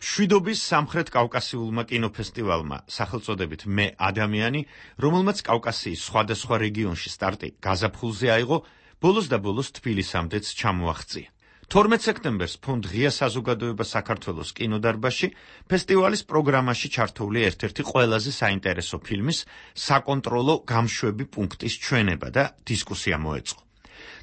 Speaker 16: შვიდობის სამხრეთ კავკასიულმა კინოფესტივალმა სახელწოდებით მე ადამიანი, რომელმაც კავკასიის სხვადასხვა რეგიონში სტარტი გაზაფხულზე აიღო, ბოლოს და ბოლოს თბილისამდეც ჩამოაღწია. 12 სექტემბერს ფონდ ღია საზოგადოება საქართველოს კინოდარბაზში ფესტივალის პროგრამაში ჩართული ერთ-ერთი ყველაზე საინტერესო ფილმის საკონტროლო გამშვები პუნქტის ჩვენება და დისკუსია მოეწყო.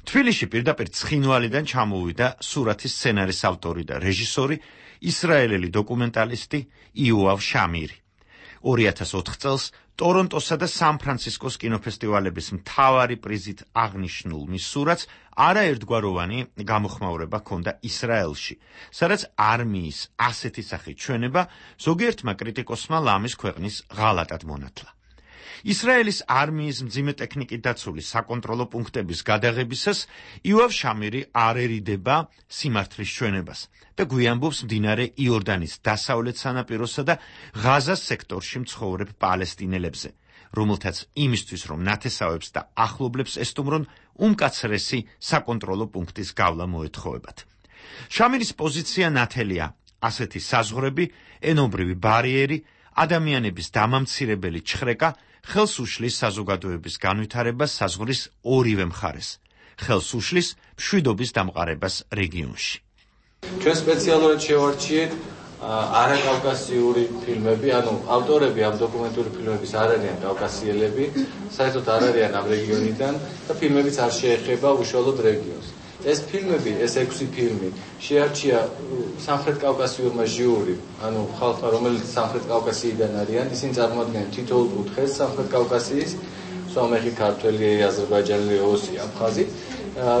Speaker 16: თბილისში პირდაპირ ცხინვალიდან ჩამოვიდა სურათის სცენარის ავტორი და რეჟისორი ისრაელელი დოკუმენტალისტი იოავ შამირი. 2004 წელს ტორონტოსა და სან-ფრანცისკოს კინოფესტივალების მთავარი პრიზით აღნიშნულ მის სურათს არაერთგვაროვანი გამოხმაურება ჰქონდა ისრაელში, სადაც არმიის ასეთი სახით ჩვენება ზოგიერთმა კრიტიკოსმა ლამის ქვეყნის ღალატად მონათლა. ისრაელის არმიის მძიმე ტექნიკით დაცული საკონტროლო პუნქტების გადაღებისას იოავ შამირი არ ერიდება სიმართლის ჩვენებას და გვიანბობს მდინარე იორდანის დასავლეთ სანაპიროსა და ღაზას სექტორში მცხოვრებ პალესტინელებზე, რომელთაც იმისთვის, რომ ნათესავებს და ახლობლებს ესტუმრონ, უმკაცრესი საკონტროლო პუნქტის გავლა მოეთხოვებათ. შამირის პოზიცია ნათელია ასეთი საზღვრები, ენობრივი ბარიერი, ადამიანების დამამცირებელი ჩხრეკა ხელს უშლის საზოგადოების განვითარებას საზღვრის ორივე მხარეს, ხელს უშლის მშვიდობის დამყარებას რეგიონში.
Speaker 11: ჩვენ სპეციალურად შევარჩიეთ არაკავკასიური ფილმები, ანუ ავტორები ამ დოკუმენტური ფილმების არ არიან კავკასიელები, საერთოდ არ არიან ამ რეგიონიდან და ფილმებიც არ შეეხება უშუალოდ რეგიონს. ეს ფილმები, ეს 6 ფილმი შეარჩია სამხრეთ კავკასიურმა ჟიურიმ, ანუ ხალხმა, რომელიც სამხრეთ კავკასიიდან არიან, ისინი წარმოადგენენ თითოეულ კუთხეს სამხრეთ კავკასიის, სომეხი, ქართველი, აზერბაიჯანელი, ოსი, აფხაზი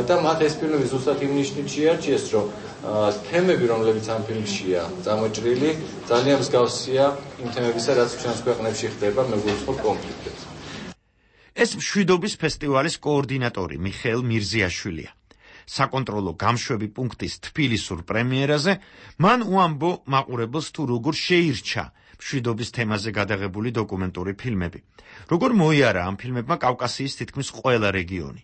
Speaker 11: და მათ ეს ფილმები ზუსტად იმ ნიშნით შეარჩიეს, რომ თემები, რომლებიც ამ ფილმშია წამოჭრილი, ძალიან მსგავსია იმ თემებისა, რაც ჩვენს ქვეყნებში ხდება მეგობრულ კონფლიქტებში.
Speaker 16: ეს მშვიდობის ფესტივალის კოორდინატორი მიხეილ მირზიაშვილია. საკონტროლო გამშვები პუნქტის თბილისურ პრემიერაზე, მან უამბო მაყურებელს თუ როგორ შეირჩა მშვიდობის თემაზე გადაღებული დოკუმენტური ფილმები. Როგორ მოიარა ამ ფილმებმა კავკასიის თითქმის ყველა რეგიონი.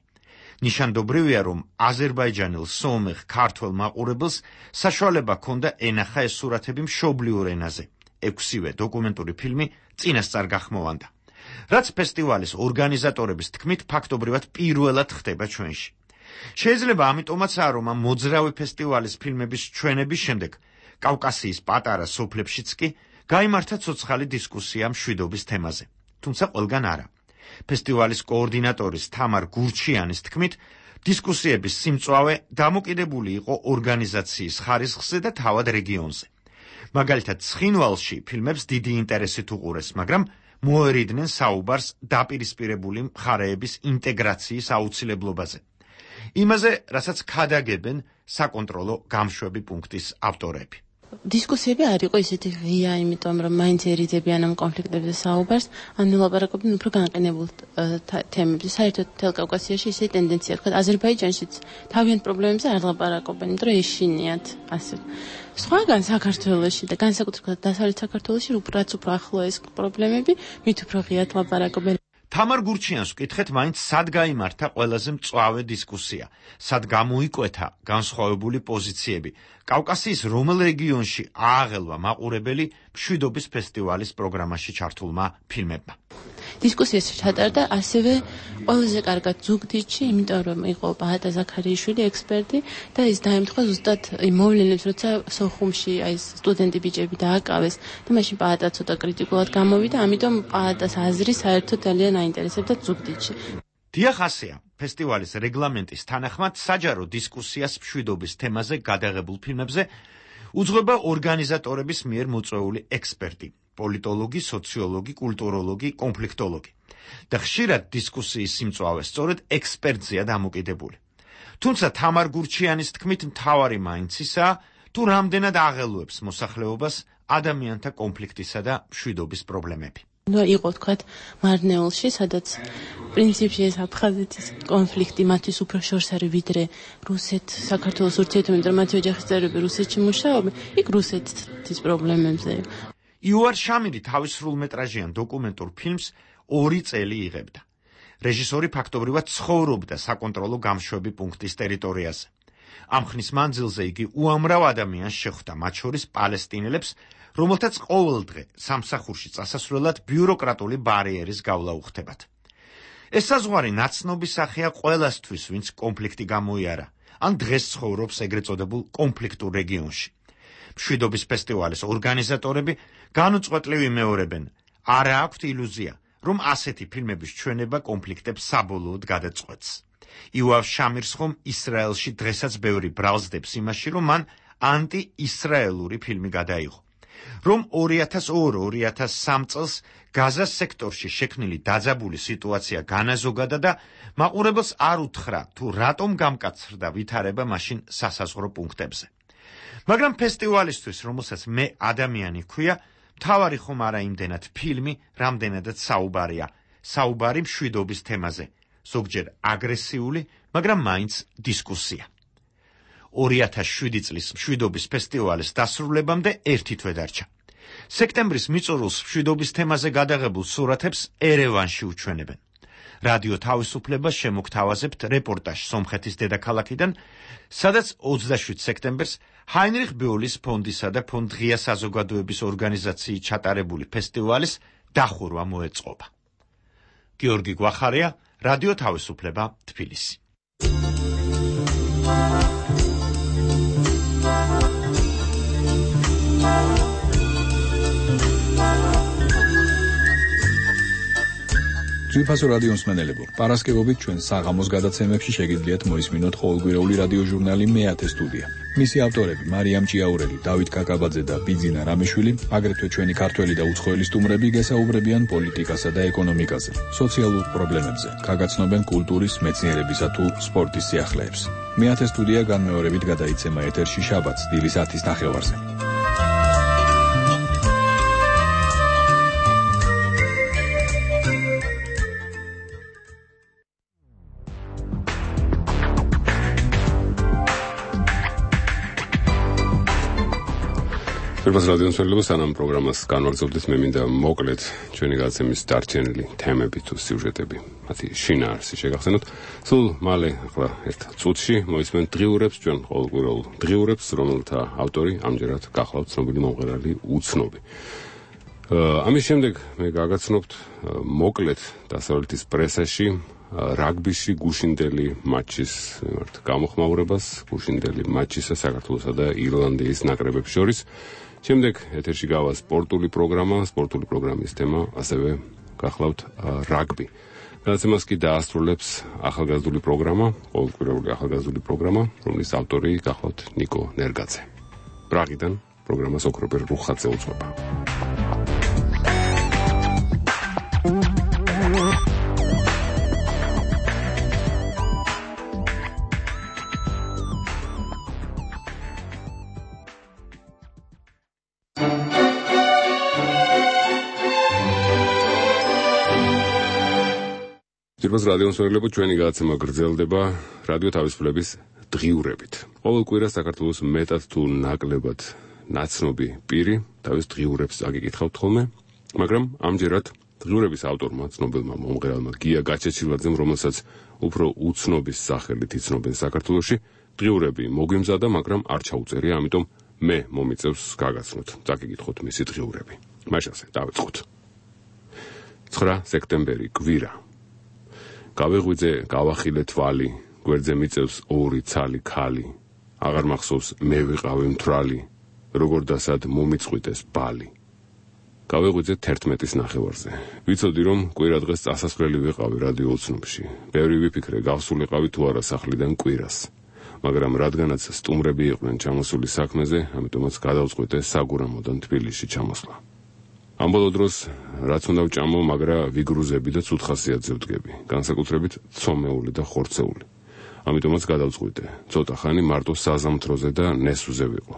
Speaker 16: ნიშანდობრივია, რომ აზერბაიჯანელ, სომეხ, ქართველ მაყურებელს საშუალება ჰქონდა ენახა ეს სურათები მშობლიურ ენაზე. 6-ვე დოკუმენტური ფილმი წინასწარ გახმოვანდა. რაც ფესტივალის ორგანიზატორების თქმით ფაქტობრივად პირველად ხდება ჩვენში. შეიძლება ამიტომაცაა, რომ ამ მოძრავი ფესტივალის ფილმების ჩვენების შემდეგ კავკასიის პატარა სოფლებშიც კი გაიმართა ცოცხალი დისკუსია მშვიდობის თემაზე. თუმცა ყველგან არა. ფესტივალის კოორდინატორის თამარ გურჩიანის თქმით, დისკუსიების სიმწვავე დამოკიდებული იყო ორგანიზაციის ხარისხზე და თავად რეგიონზე. მაგალითად, ცხინვალში ფილმებს დიდი ინტერესით უყურეს, მაგრამ მოერიდნენ საუბარს დაპირისპირებული მხარეების ინტეგრაციის აუცილებლობაზე. იმაზე, რასაც ქადაგებენ საკონტროლო გამშვები პუნქტის ავტორები.
Speaker 17: დისკუსიები არ იყო ისეთი ღია, იმიტომ რომ მაინც ერიდებიან ამ კონფლიქტებზე საუბარს, ან ელაპარაკობენ უფრო განყენებულ თემებზე. საერთოდ მთელ კავკასიაში ისეთი ტენდენცია თქვა, აზერბაიჯანშიც თავიანთ პრობლემებზე არ ლაპარაკობენ, იმიტომ რომ ეშინიათ ასე. სხვაგან საქართველოში და განსაკუთრებით დასავლეთ საქართველოში რაც უფრო ახლო ეს პრობლემები, მით უფრო ღიად ლაპარაკობენ.
Speaker 16: თამარ გურჩიანს ვკითხეთ, მაინც სად გაიმართა ყველაზე მწვავე დისკუსია, სად გამოიკვეთა განსხვავებული პოზიციები. კავკასიის რომელ რეგიონში ააღელვა მაყურებელი მშვიდობის ფესტივალის პროგრამაში ჩართულმა ფილმებმა.
Speaker 17: დისკუსიას ჩატარდა ასევე ყველაზე კარგად ზუგდიდში, იმიტომ რომ იყო ბაატა ზაქარიაშვილი ექსპერტი და ის დაემთხვა ზუსტად მოვლენებს, როცა სოხუმში ეს სტუდენტი ბიჭები დააკავეს და მაშინ ბაატა ცოტა კრიტიკულად გამოვიდა, ამიტომ ბაატას აზრი საერთოდ ძალიან აინტერესებდა ზუგდიდში.
Speaker 16: დიახ, ასეა. ფესტივალის რეგლამენტის თანახმად საჯარო დისკუსიას მშვიდობის თემაზე გადაღებულ ფილმებზე უძღვება ორგანიზატორების მიერ მოწვეული ექსპერტი, პოლიტოლოგი, სოციოლოგი, კულტუროლოგი, კონფლიქტოლოგი. და ხშირად დისკუსიის სიმწვავე სწორედ ექსპერტზეა დამოკიდებული. თუმცა თამარ გურჩიანის თქმით, მთავარი მაინც ისაა, თუ რამდენად აღელვებს მოსახლეობას ადამიანთა კონფლიქტისა და მშვიდობის პრობლემები.
Speaker 17: იყო თქვათ მარნეულში, სადაც პრინციპში ეს აფხაზეთის კონფლიქტი მათთვის უფრო შორს არის ვიდრე რუსეთ-საქართველოს ურთიერთობები, მათი ოჯახის წევრები რუსეთში მუშაობენ, იქ რუსეთის პრობლემებზე.
Speaker 16: იუარ შამირი თავის სრულმეტრაჟიან დოკუმენტურ ფილმს 2 წელი იღებდა. რეჟისორი ფაქტობრივად ცხოვრობდა საკონტროლო გამშვები პუნქტის ტერიტორიაზე. ამ ხნის მანძილზე იგი უამრავ ადამიანს შეხვდა, მათ შორის პალესტინელებს, რომელთაც ყოველდღე სამსახურში წასასვლელად ბიუროკრატული ბარიერის გავლა უხდებათ. ეს საზღვარი ნაცნობი სახეა ყველასთვის, ვინც კონფლიქტი გამოიარა, ან დღეს ცხოვრობს ეგრეთ წოდებულ კონფლიქტურ რეგიონში. მშვიდობის ფესტივალის ორგანიზატორები განუწყვეტლივ იმეორებენ, არა აქვთ ილუზია, რომ ასეთი ფილმების ჩვენება კონფლიქტებს საბოლოოდ გადაწყვეტს. იუარ შამირს ხომ ისრაელში დღესაც ბევრი ბრალსდებს იმაში, რომ მან ანტი-ისრაელური ფილმი გადაიღო. რომ 2002-2003 წელს გაზას სექტორში შექმნილი დაძაბული სიტუაცია განაზოგადა და მაყურებელს არ უთხრა, თუ რატომ გამკაცრდა ვითარება მაშინ სასაზღვრო პუნქტებზე. მაგრამ ფესტივალისთვის, რომელსაც მე ადამიანი ჰქვია, მთავარი ხომ არა იმდენად ფილმი, რამდენადაც საუბარია, საუბარი მშვიდობის თემაზე, ზოგჯერ აგრესიული, მაგრამ მაინც დისკუსია. 2007 წლის მშვიდობის ფესტივალის დასრულებამდე 1 თვე დარჩა. სექტემბრის მიწურულს მშვიდობის თემაზე გადაღებულ სურათებს ერევანში უჩვენებენ. რადიო თავისუფლებას შემოგთავაზებთ რეპორტაჟ სომხეთის დედაქალაქიდან, სადაც 27 სექტემბერს ჰაინრიხ ბეულის ფონდისა და ფონდ ღია საზოგადოების ორგანიზაციით ჩატარებული ფესტივალის დახურვა მოეწყობა. გიორგი გვახარია, რადიო თავისუფლება, თბილისი.
Speaker 12: ძვირფასო რადიო მსმენელებო, პარასკევობით ჩვენ საღამოს გადაცემებში შეგიძლიათ მოისმინოთ ყოველკვირეული რადიო ჟურნალი მეათე სტუდია. მისი ავტორები მარიამ ჭიაურელი, დავით კაკაბაძე და ბიძინა რამიშვილი, აგრეთვე ჩვენი ქართველი და უცხოელი სტუმრები გესაუბრებიან პოლიტიკასა და ეკონომიკაზე, სოციალურ პრობლემებზე, გაგაცნობენ კულტურის, მეცნიერებისა თუ სპორტის სიახლეებს. მეათე სტუდია განმეორებით გადაიცემა ეთერში შაბათს დილის 10:30-ზე.
Speaker 1: Პირველ რადიოსმენელებს სანამ პროგრამას განვაგრძობთ, მე მინდა მოკლედ ჩვენი გაცემის დარჩენილი თემები თუ სიუჟეტები, მათი შინაარსი შეგახსენოთ. სულ მალე, ახლა ერთ წუთში მოისმენთ დღიურებს, ჩვენ ყოველკვირეულ დღიურებს, რომელთა ავტორი ამჯერად გახლავთ ცნობილი მომღერალი უცნობი. ამის შემდეგ მე გაგაცნობთ მოკლედ დასავლეთის პრესაში რაგბიში გუშინდელი მატჩის გამოხმაურებას, გუშინდელი მატჩისა საქართველოსა და ირლანდიის ნაკრებებს შორის. შემდეგ ეთერში გავა სპორტული პროგრამა, სპორტული პროგრამის თემა ასევე გახლავთ რაგბი. გადაცემას კი დაასრულებს ახალგაზრდული პროგრამა, ყოველკვირეული ახალგაზრდული პროგრამა, რომლის ავტორი გახლავთ ნიკო ნერგაძე. პრაღიდან პროგრამას ოქროპერ რუხაძე უძღვება. Პირველ რადიოსმენელებო, ჩვენი გადაცემა გრძელდება რადიო თავისუფლების დღიურებით. ყოველ კვირას საქართველოს მეტად თუ ნაკლებად ნაცნობი პირი თავის დღიურებს აგიკითხავთ ხოლმე, მაგრამ ამჯერად დღიურების ავტორმა, ცნობილმა მომღერალმა გია გაჩეჩილაძემ, რომელსაც უფრო უცნობის სახელით იცნობენ საქართველოში, დღიურები მოგვიმზადა, მაგრამ არ ჩაუწერია, ამიტომ მე მომიწევს გაგაცნოთ, წაგიკითხოთ მისი დღიურები. მაშასე დავიწყოთ. 9 სექტემბერი, კვირა. გავეღვიძე, გავახილე თვალი, გვერდზე მიწევს ორი ცალი ქალი. აღარ მახსოვს მე ვიყავი მთვრალი, როგორ დასად მომიწყვიტეს ბალი. გავეღვიძე 11-ის ნახევარზე. ვიცოდი, რომ კვირა დღეს წასასვლელი ვიყავი რადიო უცნობში. ბევრი ვიფიქრე, გავსულიყავი თუ არა სახლიდან კვირას. მაგრამ რადგანაც სტუმრები იყვნენ ჩამოსული საქმეზე, ამიტომაც გადავწყვიტე საგურამოდან თბილისში ჩამოსვლა. ამ ბოლო დროს რაც უნდა ვჭამო, მაგრა ვიგრუზები და ცუთხასიათზე ვდგები, განსაკუთრებით ცომეული და ხორცეული. ამიტომაც გადავწყვიტე, ცოტა ხანი მარტო საზამთროზე და ნესვზე ვიყო.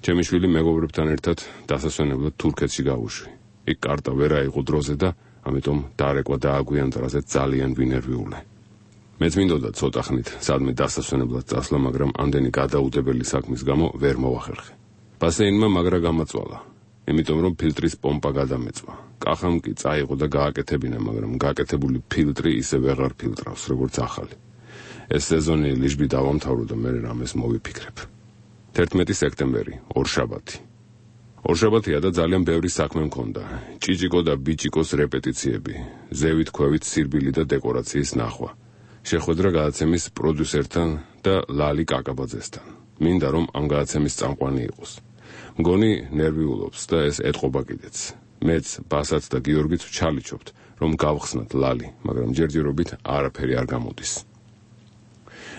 Speaker 1: ჩემი შვილი მეგობრებთან ერთად დასასვენებლად თურქეთში გავუშვი. იქ კარტა ვერ აიღო დროზე და ამიტომ დარეკვა დააგვიანტრაზე ძალიან ვინერვიულე. მეც მინდოდა ცოტა ხნით სადმე დასასვენებლად წასვლა, მაგრამ ამდენი გადაუდებელი საქმის გამო ვერ მოვახერხე. ბასეინმა მაგრა გამაწვალა. იმიტომ რომ ფილტრის პომპა გადამეწვა. კახამ კი წაიღო და გააკეთებინა, მაგრამ გაკეთებული ფილტრი ისე ვეღარ ფილტრავს, როგორც ახალი. ეს სეზონი ლიჟბი დავამთავრო და მე რამეს მოვიფიქრებ. 11 სექტემბერი, ორშაბათი. ორშაბათია და ძალიან ბევრი საქმე მქონდა. ჭიჭიკო და ბიჭიკოს რეპეტიციები, ზევით ქვევით სირბილი და დეკორაციის ნახვა. შეხვედრა გადაცემის პროდიუსერთან და ლალი კაკაბაძესთან. მინდა რომ ამ გადაცემის წამყვანი იყოს. მგონი ნერვიულობს და ეს ეთყობა კიდეც. მეც, ბასაც და გიორგიც ვჩალიჩობთ, რომ გავხსნათ ლალი, მაგრამ ჯერჯერობით არაფერი არ გამოდის.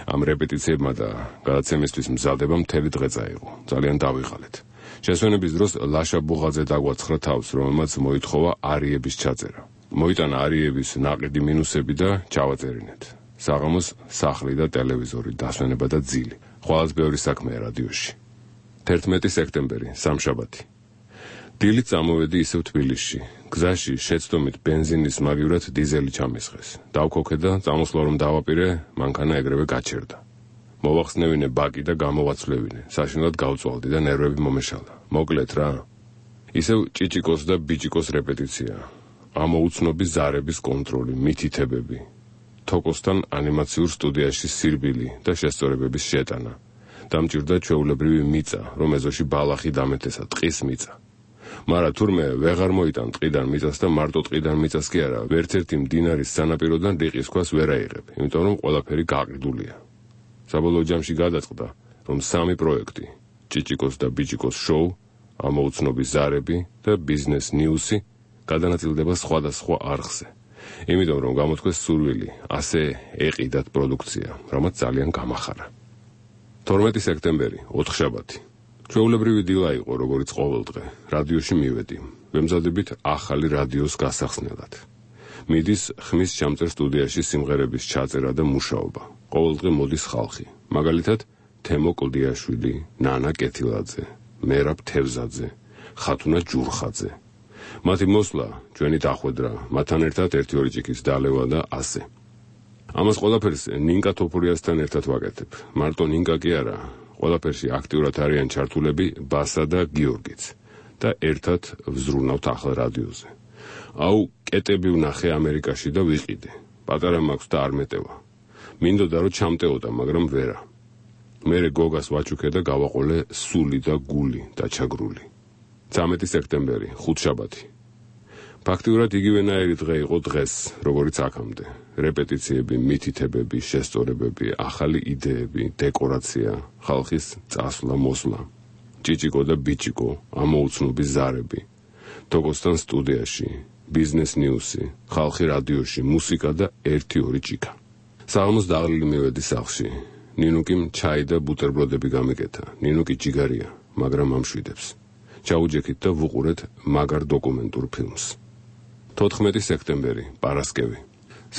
Speaker 1: ამ რეპეტიციებმა და გადაცემისთვის მზადება მთელი დღე წაიღო. ძალიან დავიღალეთ. შესვენების დროს ლაშა ბუღაძე დაგვაცხრა თავს, რომელმაც მოითხოვა არიების ჩაწერა. მოიტანა არიების ნაყიდი მინუსები და ჩავაწერინეთ. საღამოს სახლი და ტელევიზორი, დასვენება და ძილი. ხვალაც ბევრი საქმეა რადიოში. 11 სექტემბერი, სამშაბათი. დილით წამოვედი ისევ თბილისში. გზაში შეცდომით ბენზინის მაგივრად დიზელი ჩამესხეს. დავქოქე და წამოსვლა რომ დავაპირე, მანქანა ეგრევე გაჩერდა. მოვახსნევინე ბაკი და გამოვაცვლევინე. საშინლად გავწვალდი და ნერვები მომეშალა. მოკლედ რა. ისევ ჭიჭიკოს და ბიჭიკოს რეპეტიცია. ამოუცნობის ზარების კონტროლი, მითითებები. თოკოსთან ანიმაციურ სტუდიაში სირბილი და შესწორებების შეტანა. დამჭირდა ჩვეულებრივი მიწა, რომ ეზოში ბალახი დამეთესა, ტყის მიწა. მაგრამ თურმე ვეღარ მოიტან ტყიდან მიწას და მარტო ტყიდან მიწას კი არა, ვერცერთი მდინარის სანაპიროდან რიყის ქვას ვერ აიღებ, იმიტომ რომ ყველაფერი გაყიდულია. საბოლოო ჯამში გადაწყდა, რომ 3 პროექტი, ჭიჭიკოს და ბიჭიკოს შოუ, ამოუცნობის ზარები და ბიზნეს ნიუსი გადანაწილდება სხვადასხვა არხზე. იმიტომ რომ გამოთქვეს სურვილი, ასე ეყიდათ პროდუქცია, რამაც ძალიან გამახარა. 12 სექტემბერი, ოთხშაბათი. ჩვეულებრივი დილა იყო, როგორც ყოველდღე. რადიოში მივედი. ვემზადებით ახალი რადიოს გასახსნელად. მიდის ხმის ჩამწერ სტუდიაში სიმღერების ჩაწერა და მუშაობა. ყოველდღე მოდის ხალხი. მაგალითად, თემო კლდიაშვილი, ნანა კეთილაძე, მერაბ თევზაძე, ხათუნა ჯურხაძე. მათი მოსვლა, ჩვენი დახვედრა, მათთან ერთად 1-2 ჭიქის დალევა და ასე. ამას ყველაფერს ნინკა თოფურიასთან ერთად ვაკეთებ. მარტო ნინკა კი არა, ყველაფერში აქტიურად არიან ჩართულები ბასა და გიორგიც და ერთად ვზრუნავთ ახალ რადიოზე. აუ, კეტები ვნახე ამერიკაში და ვიყიდე. პატარა მაქვს და არ მეტევა. მინდოდა რომ ჩამტეოდა, მაგრამ ვერა. მერე გოგას ვაჩუქე და გავაყოლე სული და გული დაჩაგრული. 13 სექტემბერი, ხუთშაბათი. ფაქტიურად იგივენაირი დღე იყო დღეს, როგორც აქამდე. რეპეტიციები, მითითებები, შესწორებები, ახალი იდეები, დეკორაცია, ხალხის წასვლა, მოსვლა. ჭიჭიკო და ბიჭიკო, ამოუცნობი ზარები. თოგოსთან სტუდიაში, ბიზნეს ნიუსი, ხალხი რადიოში, მუსიკა და 1-2 ჭიქა. საღამოს დაღლილი მივედი სახლში. ნინუკიმ ჩაი და ბუტერბროდები გამიკეთა. ნინუკი ჯიგარია, მაგრამ ამშვიდებს. ჩაუჯექით და ვუყურეთ მაგარ დოკუმენტურ ფილმს. 14 სექტემბერი, პარასკევი.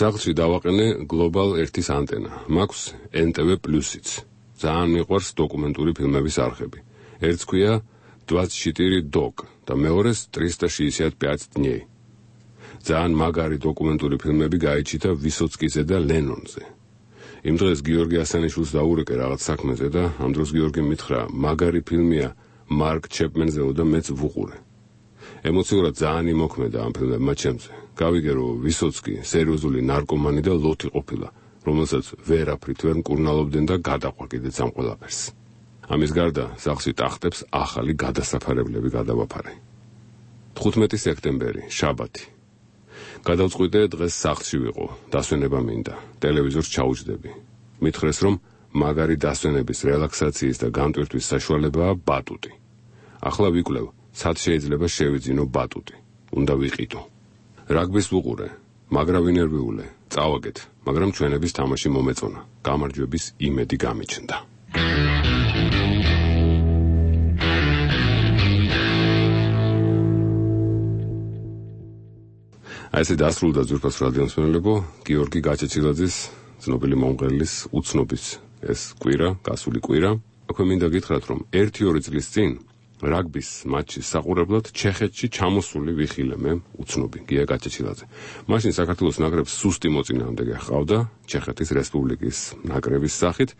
Speaker 1: სახლში დავაყენე გლობალ 1-ის ანტენა. მაქვს NTV Plus-იც. ძალიან მიყვარს დოკუმენტური ფილმების არხები. ერთს ქვია 24 Dog და მეორეს 365 дней. ძალიან მაგარი დოკუმენტური ფილმები გაიჩიტა ვისოცკიზე და ლენონზე. იმ დღეს გიორგი ასანიშვილს დაურეკე რაღაც საქმეზე და ამ დროს გიორგი მითხრა, მაგარი ფილმია მარკ ჩეპმენზეო და მეც ვუყურე. ემოციურად ძალიან იმოქმედა ამ ფილმებმა ჩემზე. გავიგე, რომ ვისოცკი სერიოზული ნარკომანი და ლოთი ყოფილა, რომელსაც ვერაფრით ვერ მკურნალობდნენ და გადაყვა კიდეც ამ ყველაფერს. ამის გარდა სახლში ტახტებს ახალი გადასაფარებლები გადავაფარე. 15 სექტემბერი, შაბათი. გადავწყვიტე დღეს სახლში ვიყო, დასვენება მინდა, ტელევიზორს ჩაუჯდები. მითხრეს, რომ მაგარი დასვენების, რელაქსაციის და განტვირთვის საშუალებაა ბატუტი. ახლა ვიკვლევ, სად შეიძლება შევიძინო ბატუტი. უნდა ვიყიდო. რაგბის ვუყურე, მაგრა ვინერვიულე, წავაგეთ, მაგრამ ჩვენების თამაში მომეწონა. გამარჯვების იმედი გამიჩნდა. ასე დასრულდა ძვირფას რადიოს მსმენელებო, გიორგი გაჩეჩილაძის, ცნობილი მომღერლის უცნობის ეს კვირა, გასული კვირა. აქვე მინდა გითხრათ, რომ 1-2 წლის წინ რაგბის მატჩის საყურებლად ჩეხეთში ჩამოსული ვიხილე მე, უცნობი გია გაჩეჩილაძე. მაშინ საქართველოს ნაკრებს სუსტი მოწინააღმდეგე ჰყავდა ჩეხეთის რესპუბლიკის ნაკრების სახით.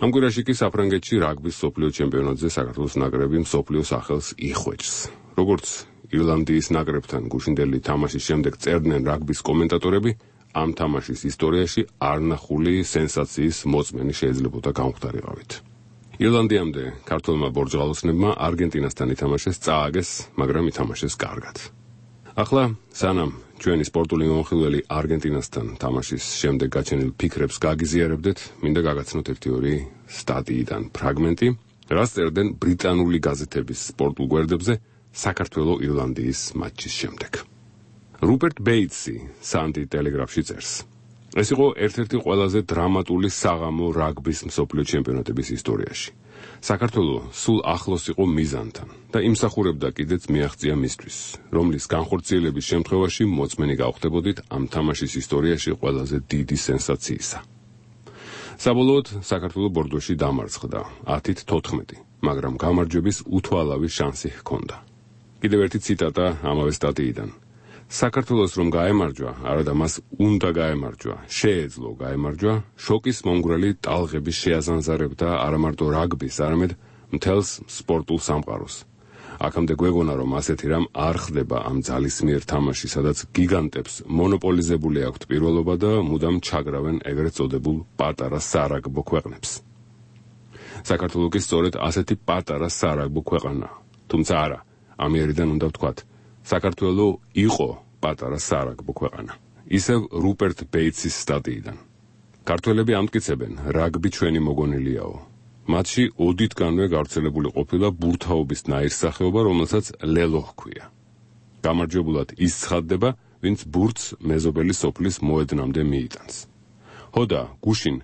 Speaker 1: ამ კვირაში კი საფრანგეთში რაგბის მსოფლიო ჩემპიონატზე საქართველოს ნაკრები მსოფლიო სახელს იხვეჭს. როგორც ირლანდიის ნაკრებთან გუშინდელი თამაშის შემდეგ წერდნენ რაგბის კომენტატორები, ამ თამაშის ისტორიაში არნახული სენსაციის მოწმენი შეიძლებოდა გამختარიყავით. ირლანდიამდე ქართველმა ბორჯღალოსნებმა არგენტინასთან ითამაშეს, წააგეს, მაგრამ ითამაშეს კარგად. ახლა სანამ ჩვენი სპორტული მომხილველი არგენტინასთან თამაშის შემდეგ გაჩენილ ფიქრებს გაგიზიარებდეთ, მინდა გაგაცნოთ 1-2 სტატიიდან ფრაგმენტი, რაც წერდნენ ბრიტანული გაზეთების სპორტულ გვერდებზე საქართველო-ირლანდიის მატჩის შემდეგ. რუპერტ ბეიტსი Sunday Telegraph-ში წერს. ეს იყო ერთ-ერთი ყველაზე დრამატული საღამო რაგბის მსოფლიო ჩემპიონატების ისტორიაში. საქართველო სულ ახლოს იყო მიზანთან და იმსახურებდა კიდეც მიაღწია მისთვის, რომლის განხორციელების შემთხვევაში მოწმენი გავხდებოდით ამ თამაშის ისტორიაში ყველაზე დიდი სენსაციისა. საბოლოოდ საქართველო ბორდოში დამარცხდა 10-14, მაგრამ გამარჯვების უთვალავი შანსი ჰქონდა. კიდევ ერთი ციტატა ამავე სტატიიდან. საქართველოს რომ გაემარჯვა, არადა მას უნდა გაემარჯვა, შეეძლო გაემარჯვა, შოკის მომგვრელი ტალღების შეაზანზარებდა არა მარტო რაგბის, არამედ მთელს სპორტულ სამყაროს. აქამდე გვეგონა, რომ ასეთი რამ არ ხდება ამ ძალისმიერ თამაში, სადაც გიგანტებს მონოპოლიზებული აქვთ პირველობა და მუდამ ჩაგრავენ ეგრეთ წოდებულ პატარა სარაგბო ქვეყნებს. საქართველო კი სწორედ ასეთი პატარა სარაგბო ქვეყანაა. თუმცა არა, ამიერიდან უნდა ვთქვათ, საქართველო იყო პატარა სარაგბო ქვეყანა. ისევ რუპერტ ბეიტსის სტატიიდან. ქართველები ამტკიცებენ, რაგბი ჩვენი მოგონილიაო. მათში ოდითგანვე გავრცელებული ყოფილა ბურთაობის ნაირსახეობა, რომელსაც ლელო ჰქვია. გამარჯვებულად ის ცხადდება, ვინც ბურთს მეზობელი სოფლის მოედნამდე მიიტანს. ჰოდა, გუშინ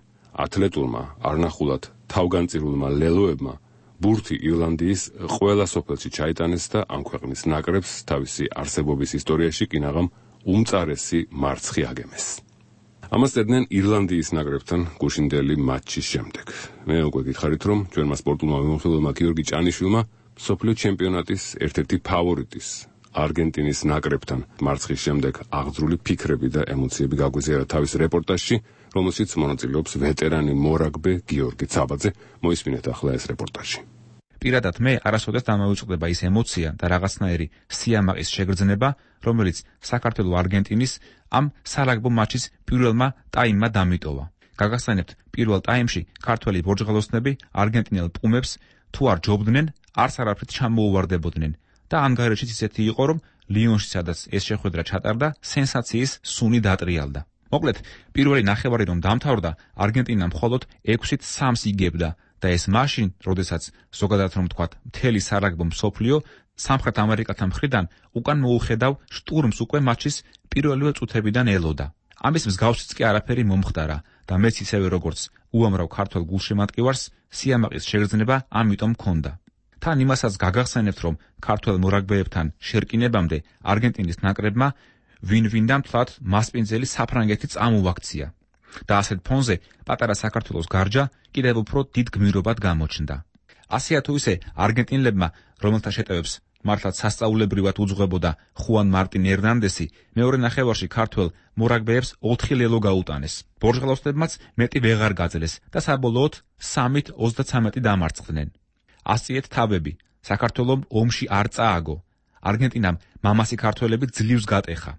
Speaker 1: ათლეტურმა, არნახულად თავგანწირულმა ლელოებმა ბურთი ირლანდიის ყველა სოფელში ჩაიტანეს და ამ ქვეყნის ნაკრებს თავისი არსებობის ისტორიაში კინაღამ უმწარესი მარცხი აგემეს. ამას წერდნენ ირლანდიის ნაკრებთან გუშინდელი მატჩის შემდეგ. მე უკვე გითხარით, რომ ჩვენმა სპორტულმა მიმოხილველმა გიორგი ჭანიშვილმა მსოფლიო ჩემპიონატის ერთ-ერთი ფავორიტის არგენტინის ნაკრებთან მარცხის შემდეგ აღძრული ფიქრები და ემოციები გაგვიზიარა თავის რეპორტაჟში რომელშიც მონაწილეობს ვეტერანი მორაგბე გიორგი ცაბაძე. მოისმინეთ ახლა ეს რეპორტაჟი.
Speaker 18: პირადად მე არასოდეს დამოუწყდება ის ემოცია და რაღაცნაირი სიამაყის შეგრძნება, რომელიც საქართველოს არგენტინის ამ სარაგბო მატჩის პირველმა ტაიმმა დამიტოვა. გაგახსენებთ, პირველ ტაიმში ქართველი ბორჯღალოსნები არგენტინელ პუმებს თუ არ ჯობდნენ, არც არაფრით ჩამოუვარდებოდნენ და ანგარიშიც ისეთი იყო, რომ ლიონში, სადაც ეს შეხვედრა ჩატარდა, სენსაციის სუნი დატრიალდა. მოკლედ, პირველი ნახევარი რომ დამთავრდა, არგენტინა მხოლოდ 6-3 იგებდა და ეს მაშინ, როდესაც ზოგადად რომ ვთქვათ, მთელი სარაგბო მსოფლიო სამხრეთ ამერიკელთა მხრიდან უკან მოუხედავ შტურმს უკვე მატჩის პირველივე წუთებიდან ელოდა. ამის მსგავსიც კი არაფერი მომხდარა და მეც ისევე როგორც უამრავ ქართველ გულშემატკივარს სიამაყის შეგრძნება ამიტომ მქონდა. თან იმასაც გაგახსენებთ, რომ ქართველ მორაგბეებთან შერკინებამდე არგენტინის ნაკრებმა ვინ-ვინდა მთლად მასპინძელი საფრანგეთი წამოაქცია და ასეთ ფონზე პატარა საქართველოს გარჯა კიდევ უფრო დიდ გმირობად გამოჩნდა. ასეა თუ ისე არგენტინელებმა, რომელთა შეტევებს მართლაც სასწაულებრივად უძღვებოდა ხუან მარტინ ერნანდესი, მეორე ნახევარში ქართველ მორაგბეებს 4 ლელო გაუტანეს. ბორჯღალოსნებმაც მეტი ვეღარ გაძლეს და საბოლოოდ 3-23 დამარცხდნენ. ასიეთ თავები, საქართველომ ომში არ წააგო. არგენტინამ მამასი ქართველები ძლივს გატეხა.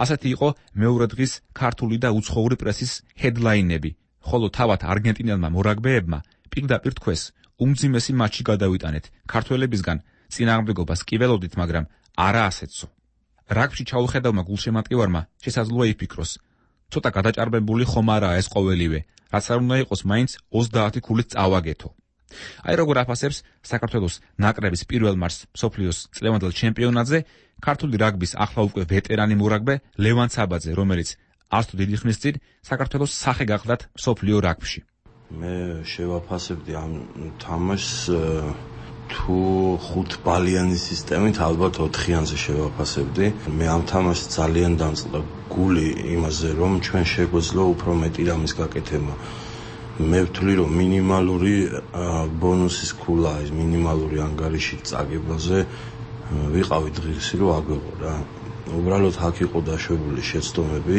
Speaker 18: ასეთი იყო მეორე დღის ქართული და უცხოური პრესის ჰედლაინები, ხოლო თავად არგენტინელმა მორაგბეებმა პირდაპირ თქვეს, უმძიმესი მატჩი გადავიტანეთ, ქართველებისგან წინააღმდეგობას კი ველოდით, მაგრამ არა ასეთსო. რაგბში ჩაუხედავმა გულშემატკივარმა შესაძლოა იფიქროს, ცოტა გადაჭარბებული ხომ არაა ეს ყოველივე, რაც არ უნდა იყოს მაინც 30 ქულით წავაგეთო. აი როგორ აფასებს საქართველოს ნაკრების პირველ მარს მსოფლიოს წლევანდელ ჩემპიონატზე ქართული რაგბის ახლა უკვე ვეტერანი მორაგბე ლევან ცაბაძე, რომელიც არც თუ დიდი ხნის წინ საქართველოს სახე გახლდათ მსოფლიო რაგბში.
Speaker 19: მე შევაფასებდი ამ თამაშს თუ 5 ბალიანი სისტემით ალბათ 4-იანზე შევაფასებდი. მე ამ თამაშს ძალიან დამწყდა გული იმაზე, რომ ჩვენ შეგვეძლო უფრო მეტი რამის გაკეთება. მე ვთვლი, რომ მინიმალური ბონუსის ქულა, ის მინიმალური ანგარიში წაგებაზე ვიყავი დღისი, რომ აგვეყო რა. უბრალოდ აქ იყო დაშვებული შეცდომები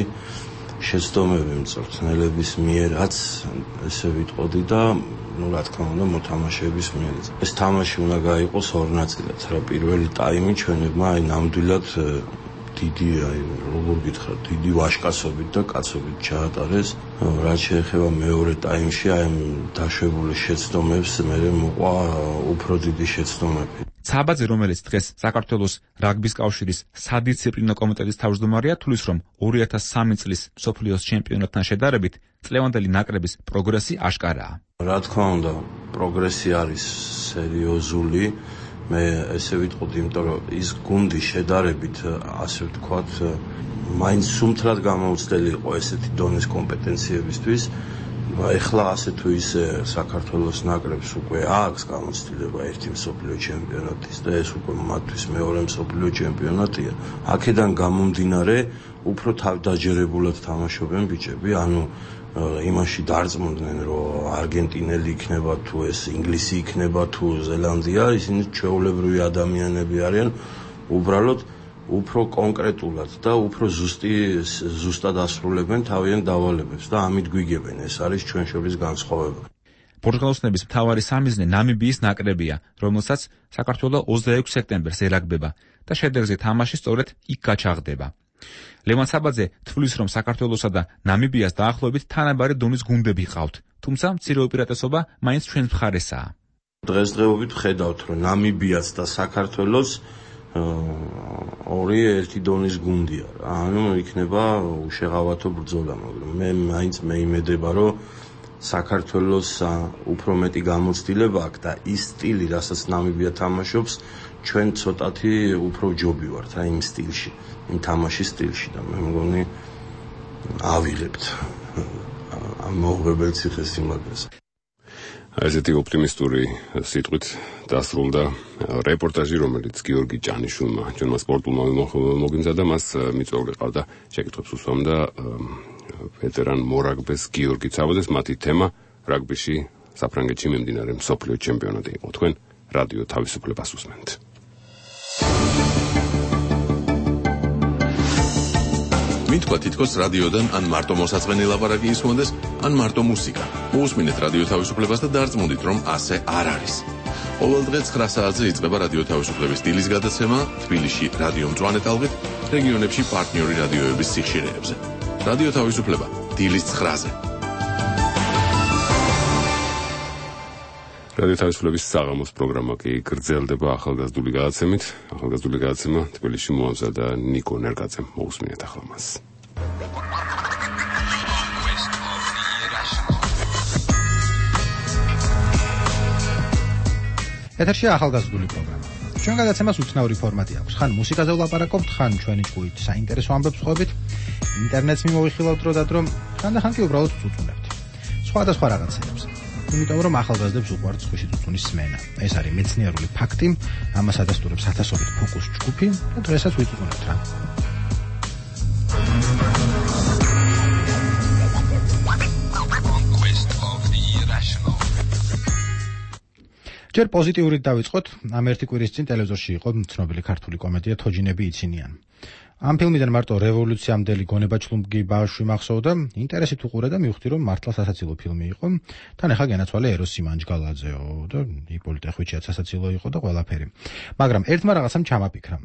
Speaker 19: მწვრთნელების მიერაც, ესე ვიტყოდი და რა თქმა უნდა მოთამაშეების მიერაც. ეს თამაში უნდა გაიყოს 2 ნაწილად. რა პირველი ტაიმი ჩვენებმა ნამდვილად დიდი, როგორ გითხრათ, დიდი ვაჟკაცობით და კაცობით ჩაატარეს. რაც შეეხება მეორე ტაიმში, დაშვებული შეცდომებს მე მოყვა უფრო დიდი შეცდომები.
Speaker 18: ცაბაძე, რომელიც დღეს საქართველოს რაგბის კავშირის სადისციპლინო კომიტეტის თავმჯდომარეა, თვლის, რომ 2003 წლის მსოფლიოს ჩემპიონატთან შედარებით წლევანდელი ნაკრების პროგრესი აშკარაა.
Speaker 19: რა თქმა უნდა, პროგრესი არის სერიოზული. მე ესე ვიტყოდი, იმიტომ რომ ის გუნდი შედარებით, ასე ვთქვათ, მაინც სუმთრად გამოუცდელი იყო ესეთი დონის კომპეტენციებისთვის. ეხლა ასე თუ ისე საქართველოს ნაკრებს უკვე აქვს გამოცდილება ერთი მსოფლიო ჩემპიონატის და ეს უკვე მათთვის მეორე მსოფლიო ჩემპიონატია. აქედან გამომდინარე, უფრო თავდაჯერებულად თამაშობენ ბიჭები, ანუ იმაში დარწმუნდნენ, რომ არგენტინელი იქნება თუ ეს ინგლისი იქნება თუ ზელანდია, ისინი ჩვეულებრივი ადამიანები არიან, უბრალოდ უფრო კონკრეტულად და უფრო ზუსტად ასრულებენ თავიანთ დავალებებს და ამით გვიგებენ. ეს არის ჩვენ შორის განსხვავება.
Speaker 18: ბორჯღალოსნების მთავარი სამიზნე ნამიბიის ნაკრებია, რომელსაც საქართველოს 26 სექტემბერს ერაგბება და შედეგზე თამაში სწორედ იქ გაჩაღდება. ლევან ცაბაძე თვლის, რომ საქართველოსა და ნამიბიას დაახლოებით თანაბარი დონის გუნდები ჰყავთ, თუმცა მცირე უპირატესობა მაინც ჩვენს მხარესაა.
Speaker 19: დღესდღეობით ვხედავთ, რომ ნამიბიაც და საქართველოს ორი ერთი დონის გუნდია. ანუ იქნება უშეღავათო ბრძოლა, მაგრამ მე მაინც მეიმედება, რომ საქართველოს უფრო მეტი გამოცდილება აქვს და ის სტილი, რასაც ნამიბია თამაშობს, ჩვენ ცოტათი უფრო ჯობი ვართ რა იმ სტილში, იმ თამაშის სტილში და მე მგონი ავიღებთ ამ მოუღებელ ციხესიმაგრეს.
Speaker 1: ესეთი ოპტიმისტური სიტყვით დასრულდა რეპორტაჟი, რომელიც გიორგი ჭანიშვილმა, ჩვენმა სპორტულმა მოგიმზადა, მას მიწვეული ყავდა შეკითხვებს უსვამდა ვეტერან მორაგბეს გიორგი ცაბაძეს. მათი თემა რაგბიში საფრანგეთში მიმდინარე მსოფლიო ჩემპიონატი იყო. თქვენ რადიო თავისუფლებას უსმენთ.
Speaker 14: მითქვა თითქოს რადიოდან ან მარტო მოსაწყენი ლაპარაკი ისმოდეს, ან მარტო მუსიკა. მოусმინეთ რადიო თავისუფლებას და დარწმუნდით, რომ ასე არ არის. ყოველ დღე 9 საათზე იწყება რადიო თავისუფლების დილის გადაცემა თბილისში რადიო მწვანე ტალღით, რეგიონებში პარტნიორი რადიოების სიხშირეებზე. რადიო თავისუფლება დილის 9-ზე.
Speaker 2: რადიო თავისუფლების საღამოს პროგრამა კი გრძელდება ახალგაზრდული გადაცემით. ახალგაზრდული გადაცემა თბილისში მოამზადა ნიკო ნერგაძემ. მოусმინეთ ახლა მას.
Speaker 20: ეთერშია ახალგაზრდული პროგრამა. ჩვენ გადაცემას უცნაური ფორმატი აქვს. ხან მუსიკაზე ვლაპარაკობთ, ხან ჩვენი ჭკუით საინტერესო ამბებს ხვდებით, ინტერნეტს მიმოვიხილავთ დროდადრო, ხან კი უბრალოდ წუწუნებთ. სხვადასხვა რაღაცებს. იმიტომ რომ ახალგაზრდებს უყვართ სხვისი წუწუნის სმენა. ეს არის მეცნიერული ფაქტი, ამას ადასტურებს ათასობით ფოკუს ჯგუფი და დღესაც ვიწუწუნებთ რა. ჯერ პოზიტიურით დავიწყოთ. ამ ერთი კვირის წინ ტელევიზორში იყო ცნობილი ქართული კომედია თოჯინები იცინიან. ამ ფილმიდან მარტო რევოლუციამდელი გონებაჩლუმგი ბავშვი მახსოვდა, ინტერესით უყურე და მივხვდი, რომ მართლა სასაცილო ფილმი იყო. თან ახლა განაცვალე ეროს სიმანჯგალაძეო და იპოლიტე ხვიჩიაც სასაცილო იყო და ყველაფერი. მაგრამ ერთმა რაღაცამ ჩამაფიქრა.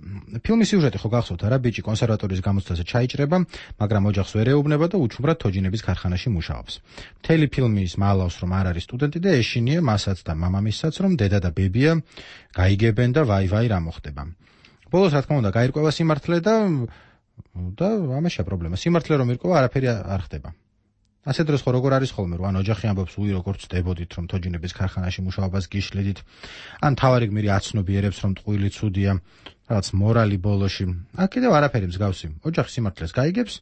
Speaker 20: ფილმის სიუჟეტი ხო გახსოვთ არა, ბიჭი კონსერვატორიის გამოცდაზე ჩაიჭრება, მაგრამ ოჯახს ვერ ეუბნება და უჩუმრად თოჯინების ქარხანაში მუშაობს. მთელი ფილმის მალავს რომ არ არის სტუდენტი და ეშინია მასაც და მამამისსაც, რომ დედა და ბებია გაიგებენ და ვაი რა მოხდება. ბოლოს რა თქმა უნდა გაირკვევა სიმართლე და ამაშია პრობლემა. სიმართლე რომ ირკვევა, არაფერი არ ხდება. ასე დროს ხო როგორ არის ხოლმე, რომ ან ოჯახი ამბობს უი როგორ წდებოდით, რომ თოჯინების ქარხანაში მუშაობას გიშლედით, ან თავარი გმირი აცნობიერებს, რომ ტყუილი ცუდია, რაღაც მორალი ბოლოში. აქ კიდევ არაფერი მსგავსი. ოჯახი სიმართლეს გაიგებს,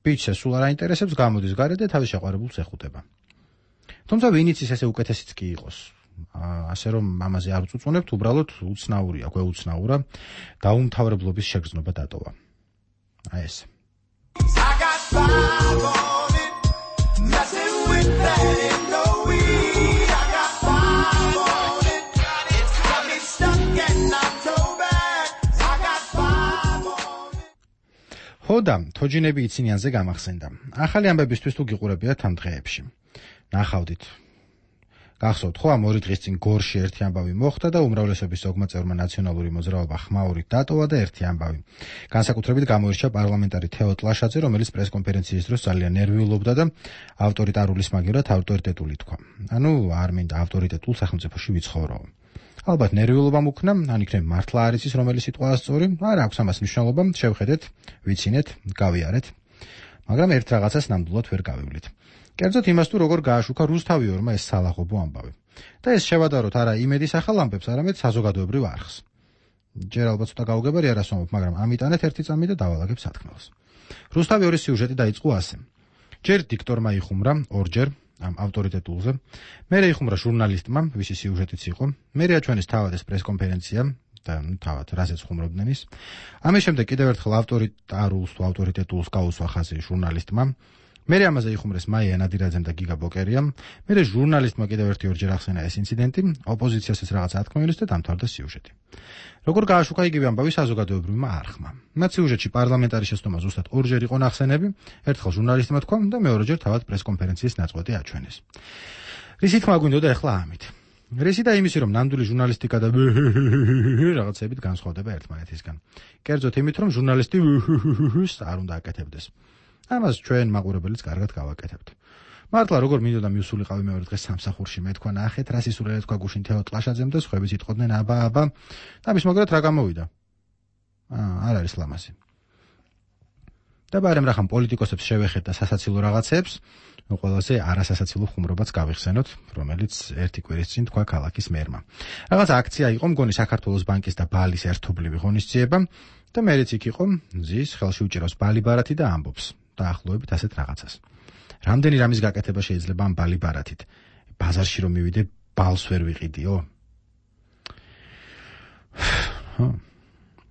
Speaker 20: ბიჭს სულ არ აინტერესებს, გამოდის გარეთ და თავის შეყვარებულს ეხუტება. თუმცა ვინიც ის ესე უკეთესიც კი იყოს. ასე რომ ამაზე არ უწუწუნებთ, უბრალოდ უცნაურია, გვეუცნაურა, დაუმთავრებლობის შეგრძნობა დატოვა. აი ეს. ხოდა თოჯინები იცინიანზე გამახსენდა. ახალი ამბებისთვის თუ გიყურებიათ ამ დღეებში. ნახავდით. გახსოვთ ხო ამ 2 დღის წინ გორში ერთი ამბავი მოხდა და უმრავლესობის ზოგმა წევრმა ნაციონალური მოძრაობა ხმაურით დატოვა და ერთი ამბავი. განსაკუთრებით გამოირჩა პარლამენტარი თეო ტლაშაძე, რომელიც პრესკონფერენციის დროს ძალიან ნერვიულობდა და ავტორიტარული სმაგერად ავტორიტეტული თქვა. ანუ არ მინდა ავტორიტეტულ სახელმწიფოში ვიცხოვრო. ალბათ ნერვიულობამ უქნა, ან იქნებ მართლა არის ის რომელი სიტყვაა სწორი, არ აქვს ამას მნიშვნელობა, შევხედეთ, ვიცინეთ, გავიარეთ. მაგრამ ერთ რაღაცას ნამდვილად ვერ გავივლით. კერძოდ იმას თუ როგორ გააშუქა რუსთავიორმა ეს სალაღობო ამბავი. და ეს შევადაროთ არა იმედის ახალ ამბებს, არამედ საზოგადოებრივ არხს. ჯერ ალბათ ცოტა გაუგებარი არასვამობ, მაგრამ ამიტანეთ ერთი წამი და დავალაგებ სათქმელს. რუსთავიორის სიუჟეტი დაიწყო ასე. ჯერ დიქტორმა იხუმრა, ორჯერ ამ ავტორიტეტულზე, მერე იხუმრა ჟურნალისტმა, ვისი სიუჟეტიც იყო, მერე აჩვენეს თავად ეს პრესკონფერენცია და თავად რაზეც ხუმრობდნენ ის. ამის შემდეგ კიდევ ერთხელ ავტორიტარულს თუ ავტორიტეტულს გაუსვა ხაზი ჟურნალისტმა. მერე ამაზე იხუმრეს მაია ნადირაძემ და გიგა ბოკერიამ. მერე ჟურნალისტმა კიდევ ორჯერ ახსენა ეს ინციდენტი, ოპოზიციასაც რაღაც ათქმევილეს და დამთავრდა სიუჟეტი. როგორ გააშუქა იგივე ამბავი საზოგადოებრივმა არხმა. მათ სიუჟეტში პარლამენტარი შეცდომა ზუსტად ორჯერ იყო ნახსენები, ერთხელ ჟურნალისტმა თქვა და მეორეჯერ თავად პრესკონფერენციის ნაწყვეტი აჩვენეს. რისი თქმა გვინდოდა ახლა ამით? რისი და იმისი, რომ ნამდვილი ჟურნალისტიკა და რაღაცებით განსხვავდება ერთმანეთისგან. კერძოდ იმით, რომ ჟურნალისტი არ უნდა აკეთებდეს. ამას ჩვენ მაყურებელიც კარგად გავაკეთებთ. მართლა როგორ მინდოდა მივსულიყავი მეორე დღეს სამსახურში, მე თქვა ნახეთ რა სისულელე თქვა გუშინ თეო ტლაშაძემ და სხვაებიც იტყოდნენ აბა და მის მოგერად რა გამოვიდა. არ არის ლამაზი. და ბარემ რახან პოლიტიკოსებს შევეხეთ და სასაცილო რაღაცებს, ყველაზე არასასაცილო ხუმრობაც გავიხსენოთ, რომელიც ერთი კვირის წინ თქვა ქალაქის მერმა. რაღაც აქცია იყო, მგონი საქართველოს ბანკის და ბალის ერთობლივი ღონისძიება და მერეც იქ იყო, ზის ხელში უჭირავს ბალი ბარათი და ამბობს. დაახლოებით ასეთ რაღაცას. რამდენი რამის გაკეთება შეიძლება ამ ბალი ბარათით? ბაზარში რომ მივიდე, ბალს ვერ ვიყიდიო?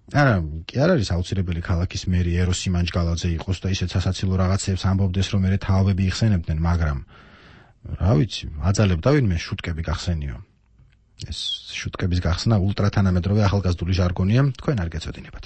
Speaker 20: არა, კი არ არის აუცილებელი ქალაქის მერი ეროს სიმანჯგალაძე იყოს და ისეთ სასაცილო რაღაცებს ამბობდეს, რომ მერე თავები იხსენებდნენ, მაგრამ რა ვიცი, აძალებდა ვინმე შუტკები გახსენიო. ეს შუტკების გახსნა ულტრათანამედროვე ახალგაზრდული ჟარგონია, თქვენ არ გეცოდინებათ.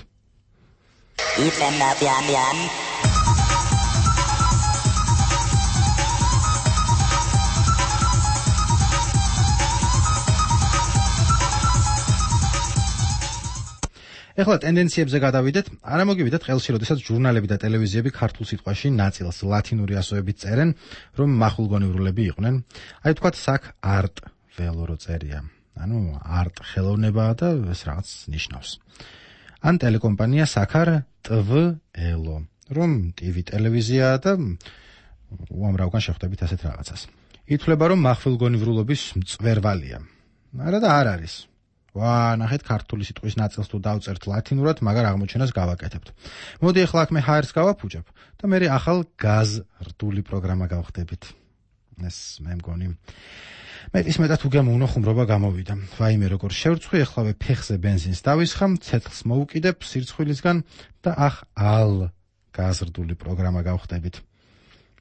Speaker 20: ეხლა ტენდენციებზე გადავიდეთ. არა მოგივიდეთ ყელში, როდესაც ჟურნალები და ტელევიზიები ქართულ სიტყვაში ნაწილს ლათინური ასოებით წერენ, რომ მახვილგონივრულები იყვნენ. აი თქვათ საკ არტ ველო რო წერია. ანუ არტ ხელოვნებაა და ეს რაღაც ნიშნავს. ან ტელეკომპანია საკარ ტვ-ელო, რომ TV ტელევიზიაა და უამრავგან შეხვდებით ასეთ რაღაცას. ითვლება, რომ მახვილგონივრულობის მწვერვალია. არა და არ არის. ნახეთ ქართული სიტყვის ნაწილს თუ დავწერთ ლათინურად, მაგრამ აღმოჩენას გავაკეთებთ. მოდი ახლა აქ მე ჰაერს გავაფუჭებ და მე ახალ გაზრდული პროგრამა გავხდებით. ეს მე მგონი მეტის მეტად უგემოვნო ხუმრობა გამოვიდა. ვაიმე როგორ შევრცხვი, ახლავე ფეხზე ბენზინს დავისხამ, ცეცხლს მოუკიდებ სირცხვილისგან და ალ გაზრდული პროგრამა გავხდებით.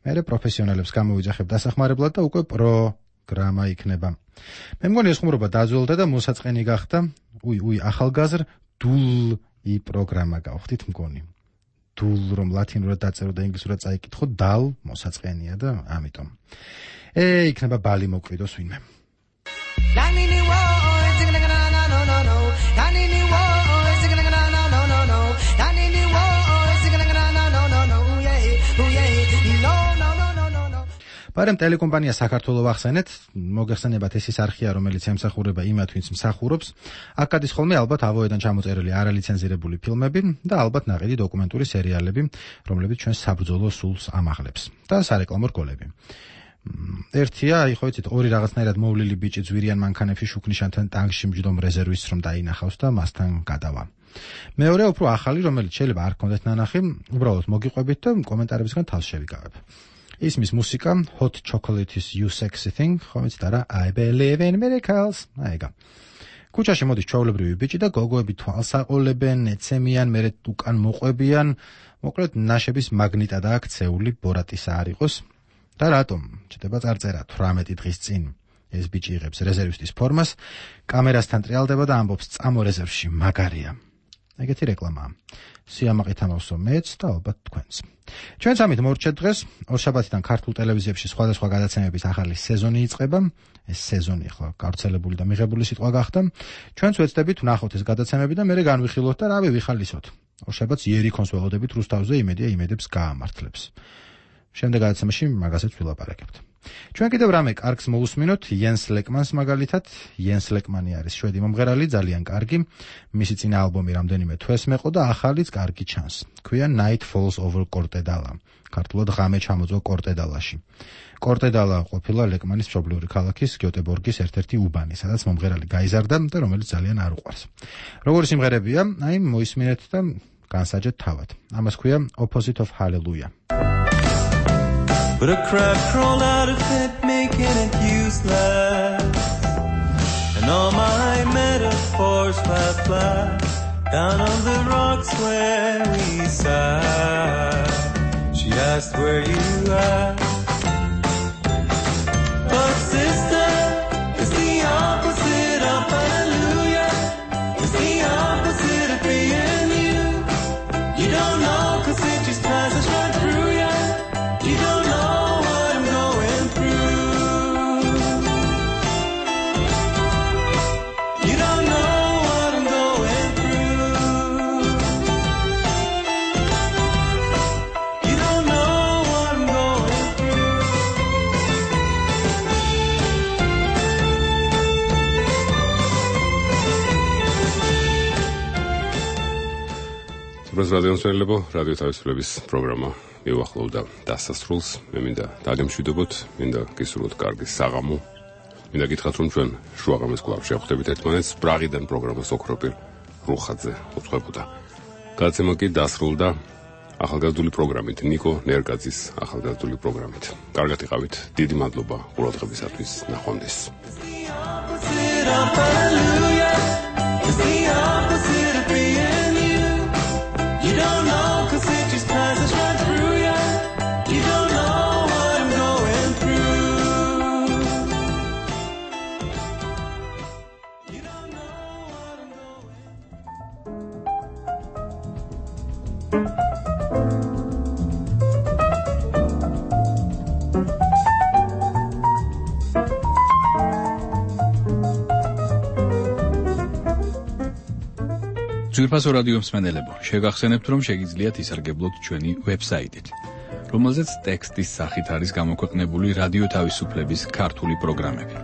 Speaker 20: მე პროფესიონალებს გამოვიძახებ დასახმარებლად და უკვე პროგრამა იქნება. მე მგონი ეს ხუმრობა დაძველდა და მოსაწყენი გახდა. ახალგაზრდული პროგრამა გავხდით მგონი. დულ რომ ლათინურად დაწერო და ინგლისურად წაიკითხო, დალ მოსაწყენია და ამიტომ. იქნება ბალი მოკვიდოს ვინმე. პარემ ტელეკომპანია საქართველოს ახსენეთ, მოგეხსენებათ ეს ის არხია, რომელიც ემსახურება იმათ, ვინც მსახურობს. აქ გადის ხოლმე ალბათ ავოედან ჩამოწერილი არალიცენზირებული ფილმები და ალბათ ნაყიდი დოკუმენტური სერიალები, რომლებიც ჩვენს საბრძოლო სულს ამაღლებს და სარეკლამო რგოლები. ერთია, ხო იცით, ორი რაღაცნაირად მოვლილი ბიჭი ძვირიან მანქანებში შუქნიშანთან ტანგში მჯდომ რეზერვისტს რომ დაინახავს და მასთან გადავა. მეორე უფრო ახალი, რომელიც შეიძლება არ გქონდეთ ნანახი, უბრალოდ მოგიყვებით და კომენტარებისგან თავს შევიკავებ. ისმის მუსიკა Hot Chocolate is You Sexy Thing, ხო იცით არა? I believe in miracles. აიგა. ქუჩაში მოდის ჩვეულებრივი ბიჭი და გოგოები თვალს აყოლებენ, ეცემიან, მერე უკან მოყვებიან. მოკლედ ნაშების მაგნიტად აქცეული ბორატისა არ იყოს. და რატომ? ჩდება წარწერა 18 დღის წინ. ეს ბიჭი იღებს რეზერვისტის ფორმას, კამერასთან ტრიალდება და ამბობს წამო რეზერვში, მაგარია. ეგეთი რეკლამაა. სიამაყით ამავსო მეც და ალბათ თქვენც. ჩვენ სამით მორჩეთ დღეს, ორშაბათიდან ქართულ ტელევიზიებში სხვადასხვა გადაცემების ახალი სეზონი იწყება. ეს სეზონი ახლა გავრცელებული და მიღებული სიტყვა გახდა. ჩვენც ვეცდებით ვნახოთ ეს გადაცემები და მერე განვიხილოთ და რავი ვიხალისოთ. ორშაბათს იერიქონს ველოდებით რუსთავზე, იმედია იმედებს გაამართლებს. შემდეგ გადაცემაში მაგასაც ვილაპარაკებთ. ჩვენ კიდევ რამე კარგს მოусმინოთ იენს ლეკმანს მაგალითად. იენს ლეკმანი არის შვედი მომღერალი, ძალიან კარგი. მისი წინა ალბომი რამდენიმე თვეს მეყო და ახალიც კარგი ჩანს. ქვია Night Falls Over Cortedala. ქართულად ღამე ჩამოწვა კორტედალაში. კორტედალა ყოფილა ლეკმანის მშობლიური ქალაქის გიოტებორგის ერთ-ერთი უბანი, სადაც მომღერალი გაიზარდა და რომელიც ძალიან არ უყვარს. როგორი სიმღერებია, აი მოისმინეთ და განსაჯეთ თავად. ამას ქვია Opposite of Hallelujah.
Speaker 21: But a crab crawled out of it, making it useless. And all my metaphors fly down on the rocks where we sat. She asked where you at. But sister, it's the opposite of hallelujah. It's the opposite of being you. You don't know 'cause it just passes right through you. You don't know.
Speaker 2: რადიოსმენელებო, რადიო თავისუფლების პროგრამა მივახლოვდა დასასრულს. მე მინდა დაგემშვიდობოთ, მინდა გისურვოთ კარგი საღამო. მინდა გითხრათ, რომ ჩვენ შუაღამეს კვლავ შევხვდებით ერთმანეთს. პრაღიდან პროგრამას ოქროპირ რუხაძე უწყებოდა. გადაცემა კი დასრულდა ახალგაზრდული პროგრამით, ნიკო ნერგაძის ახალგაზრდული პროგრამით. კარგად იყავით, დიდი მადლობა ყურადღებისათვის, ნახვამდის.
Speaker 21: You don't know 'cause it just passes right through you. You don't know what I'm going through. You don't know what I'm going through.
Speaker 12: ძვირფასო რადიო მსმენელებო, შეგახსენებთ, რომ შეგიძლიათ ისარგებლოთ ჩვენი ვებსაიტით, რომელზეც ტექსტის სახით არის გამოქვეყნებული რადიო თავისუფლების ქართული პროგრამები.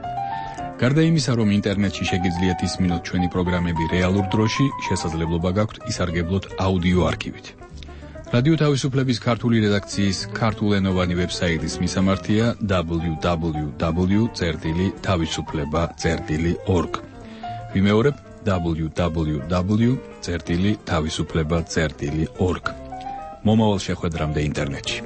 Speaker 12: გარდა იმისა, რომ ინტერნეტში შეგიძლიათ ისმინოთ ჩვენი პროგრამები რეალურ დროში, შესაძლებლობა გაქვთ ისარგებლოთ აუდიო არქივით. რადიო თავისუფლების ქართული რედაქციის ქართულენოვანი ვებსაიტის მისამართია www.tavisufleba.org. ვიმეორებ www.tavisufleba.org. მომავალ შეხვედრამდე ინტერნეტში.